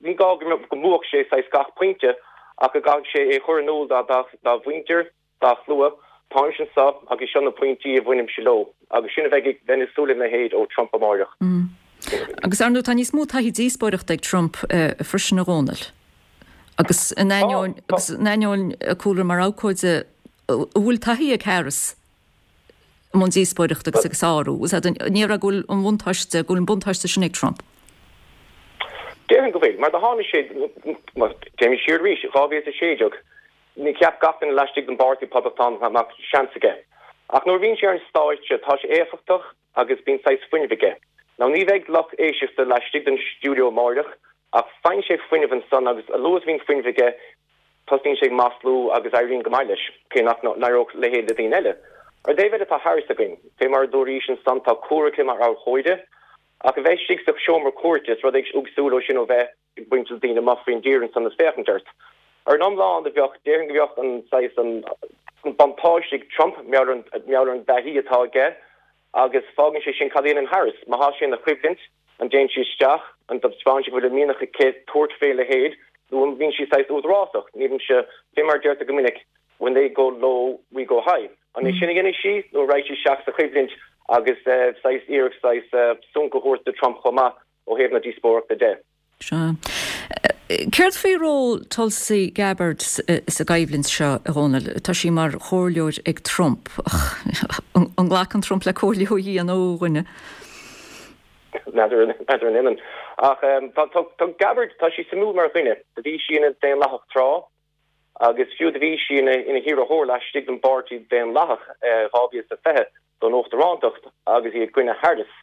S19: ní gá go mbuafadh sé saghas gach pointe, ach go gcaithfidh sé é a chur in iúl dá mhuintir, dá shlua, táimse anseo agus seo na pointí a bhainimse leo. Agus sin a bheidh ag, bheinn ag súil lena leithéid ó Trump
S1: amáireach. Agus ar ndóigh tá níos mó taithí díospóireachta ag Trump freisin a Dhónaill. Agus in ainneoin, agus in ainneoin a cúlra mar abhcóide, an bhfuil taithí ag Harris i mbun díospóireachta agus ag sárú? Is ea, ní raibh go bhfuil an bhuntáiste, go bhfuil an buntáiste sin ag Trump.
S19: Déarfainn go bhfuil, mar do tháinig sé, téimid siar arís, 2016, ní cheap gach duine laistigh den bpáirtí Poblachtánach nach mbeadh seans aige. Ach nuair a bhíonn sé ar an stáitse, tá sé éifeachtach agus bíonn saghas fuinnimh aige. Now ní bheidh lucht éisteachta laistigh den stiúideo amáireach ach faigheann sé fuinneamh ansan agus a luaithe is a bhíonn fuinneamh aige tosnaíonn sé ag maslú agus éiríonn go maith leis, cé nach n-éireodh a leithéid le daoine eile. Ar an dtaobh eile tá Harris againn. Fé mar a dúraís ansan tá cúlra aici mar abhcóide ach a bheith istigh sa seomra cúirte is rud éagsúil é sin ó bheith ag baint le daoine amuigh faoin dtír ansan ag féachaint ort. Ar an iomlán do bheadh, déarfainn go bheadh an saghas, an buntáiste ag Trump mar gheall ar an dtaithí atá aige agus fágann sé sin cad a dhéanann Harris? Má thá sé ina choimhlint, an dtéann sí isteach, an dtaispeánann sí go bhfuil an mianach aici tabhairt fé leithéid nó an mbíonn sí saghas údarásach? Nílimse, fé mar a deirtear go minic, when they go low, we go high. An é sin a dhéanfaidh sí nó an raghaidh sí isteach sa choimhlint agus saghas iarracht saghas sonc a thabhairt do Trump chomh maith? ó thaobh na díospóireachta de.
S1: Sea. Céard faoi ról Tulsi Gabbard sa gcoimhlint seo, a Dhónaill? Tá sí mar chomhairleoir ag Trump. An nglacann Trump le comhairle ó Dhia nó ó dhuine?
S19: N'fheadar an ionann. Ach tá Gabbard, tá sí suimiúil mar dhuine. Do bhí sí ina Daonlathach tráth agus fiú do bhí sí ina hiarrthóir laistigh den bPáirtí Daonlathach 2020 don uachtarántacht agus í i gcoinne Harris.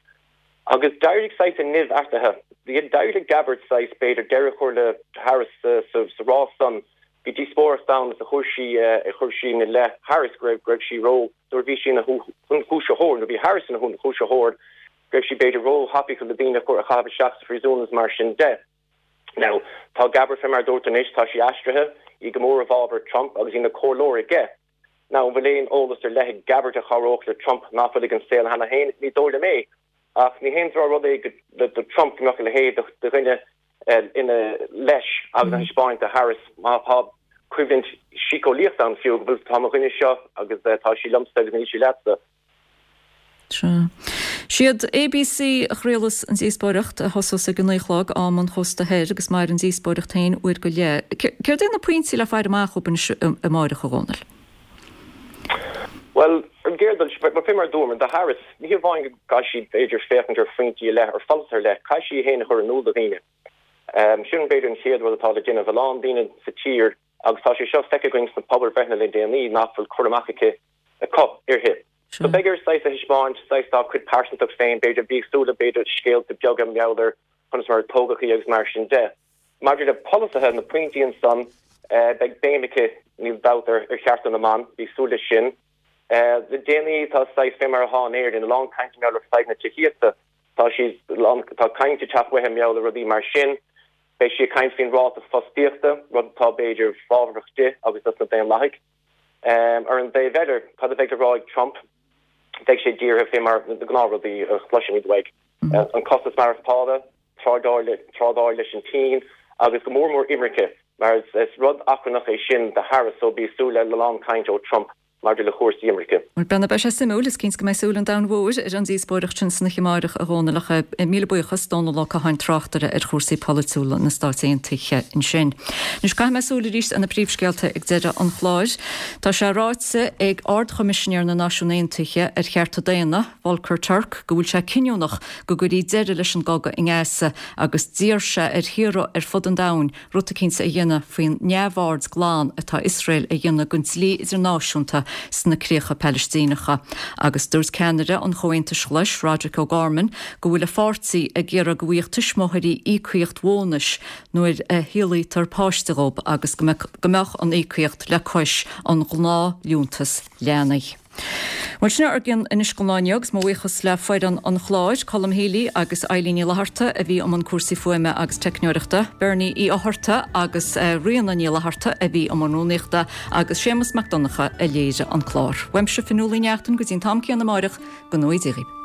S19: Agus d'éirigh saghas an nimh eatarthu. D'éirigh le Gabbard saghas, b'fhéidir, deireadh a chur le Harris sa rás san. Bhí díospóireacht ann agus chuir sí, chuir sí ina leith Harris go raibh, go raibh sí ró, nuair a bhí sí ina hionchúisitheoir, nuair a bhí Harris ina hionchúisitheoir, go raibh sí b'fhéidir ró-thapaidh chun na daoine a chur, a chaitheamh isteach sa phríosún agus mar sin de. Now, tá Gabbard fé mar a dúirt anois, tá sí aistrithe, í go mór i bhfabhar Trump agus í ina comhairleoir aige. Now, an bhfuil aon eolas ar leith ag Gabbard a chabhródh le Trump nach bhfuil ag an saol cheana féin? Ní dóigh liom é. Ach ní haon drochrud é do Trump go mbeadh a leithéid de dhuine ina leis agus a thaispeáint do Harris má tá coimhlint síceolaíochta ann fiú, go bhfuil tá mo dhuine seo agus tá sí liomsa agus níl sí leatsa.
S1: Sea. Siad ABC a chraolas an díospóireacht, a thosós ag 9 a chlog, am an chósta thoir, agus mairfidh an díospóireacht féin uair go leith. Céard é na pointí le faire amach dhóibh anois amáireach, a Dhónaill?
S19: Bhuel, ar an gcéad dul síos, fé mar a dúramar, do Harris, ní hamháin go gcaithfidh sí, b'fhéidir, féachaint ar phointí ar leith, ar pholasaithe ar leith, caithfidh sí í féin a chur in iúl do dhaoine. Sin, b'fhéidir, an chéad rud atá le déanamh. A lán daoine sa tír, agus tá sé seo feicthe againn sna pobalbhreitheanna le déanaí, nach bhfuil cur amach aici, acu uirthi. So beidh uirthi saghas a thaispeáint, saghas dá cuid pearsantacht féin, b'fhéidir, bí ag súil le, b'fhéidir, scéalta beaga mar gheall ar conas mar a tógadh í agus mar sin de. Maidir le polasaithe, na pointí ansan, beidh béim aici, níl dabht, ar chearta na mban, bí ag súil leis sin. Le déanaí tá saghas, fé mar atá in Éirinn, a lán cainte mar gheall ar fadhb na tithíochta. Tá siad, tá caint ag teacht uaithi mar gheall ar rudaí mar sin. Beidh sí ag caint faoin ráta fostaíochta, rud atá, b'fhéidir, fábharach di agus dos na Daonlathaigh. Ar an dtaobh eile, cad a bheidh le rá ag Trump? Beidh sé dírithe fé mar na gnáthrudaí a chloisimid uaidh, an costas maireachtála, trádáil, trádáil leis an tSín agus go mór mór imirce, mar is rud achrannach é sin do Harris, so bí ag súil le a lán cainte ó Trump maidir le cúrsaí imirce.
S1: Bhuel, beidh, beidh sé suimiúil. Is cinnte go mbeidh súil an domhain mhóir ar an díospóireacht sin san oíche amáireach, a Dhónaill, ach míle buíochas, Dónall Ó Catháin, tráchtaire ar chúrsaí polaitiúla na Stáit Aontaithe ansin. Anois caithfidh mé súil arís ar na príomhscéalta ag deireadh an chláir. Tá sé ráite ag Ard-Choimisinéir na Náisiún Aontaithe ar Chearta Daonna, Volker Turk, go bhfuil sé cinniúnach go gcuirí deireadh leis an gcogadh i nGaza agus d'iarr sé ar thíortha ar fud an domhain rud eicínt a dhéanamh faoin neamhaird glan atá Iosrael a dhéanamh den dlí idirnáisiúnta sna críocha Palaistíneacha. Agus dúirt ceannaire an Chomhaontais Ghlais, Roderic O'Gorman, go bhfuil a pháirtí ag iarraidh go bhfaigheadh tuismitheoirí íocaíocht bhónais nuair a shaolaítear páiste dhób agus go mbeadh an íocaíocht le cois an ghnáthliúntas leanaí. Bhuel, sin ár gcion anois don lá inniu agus mo bhuíochas le foireann an chláir, Colm Healy agus Eilín Ní Fhlatharta a bhí i mbun cúrsaí fuaime agus teicneoireachta, Bernie Uí Fhátharta agus Ríona Ní Fhlatharta a bhí i mbun rúnaíochta agus Séamus Mac Donncha a léirigh an clár. Uaimse Fionnuala Ní Neachtain go dtí an t-am céanna amáireach, go ngnóthaí Dia dhaoibh.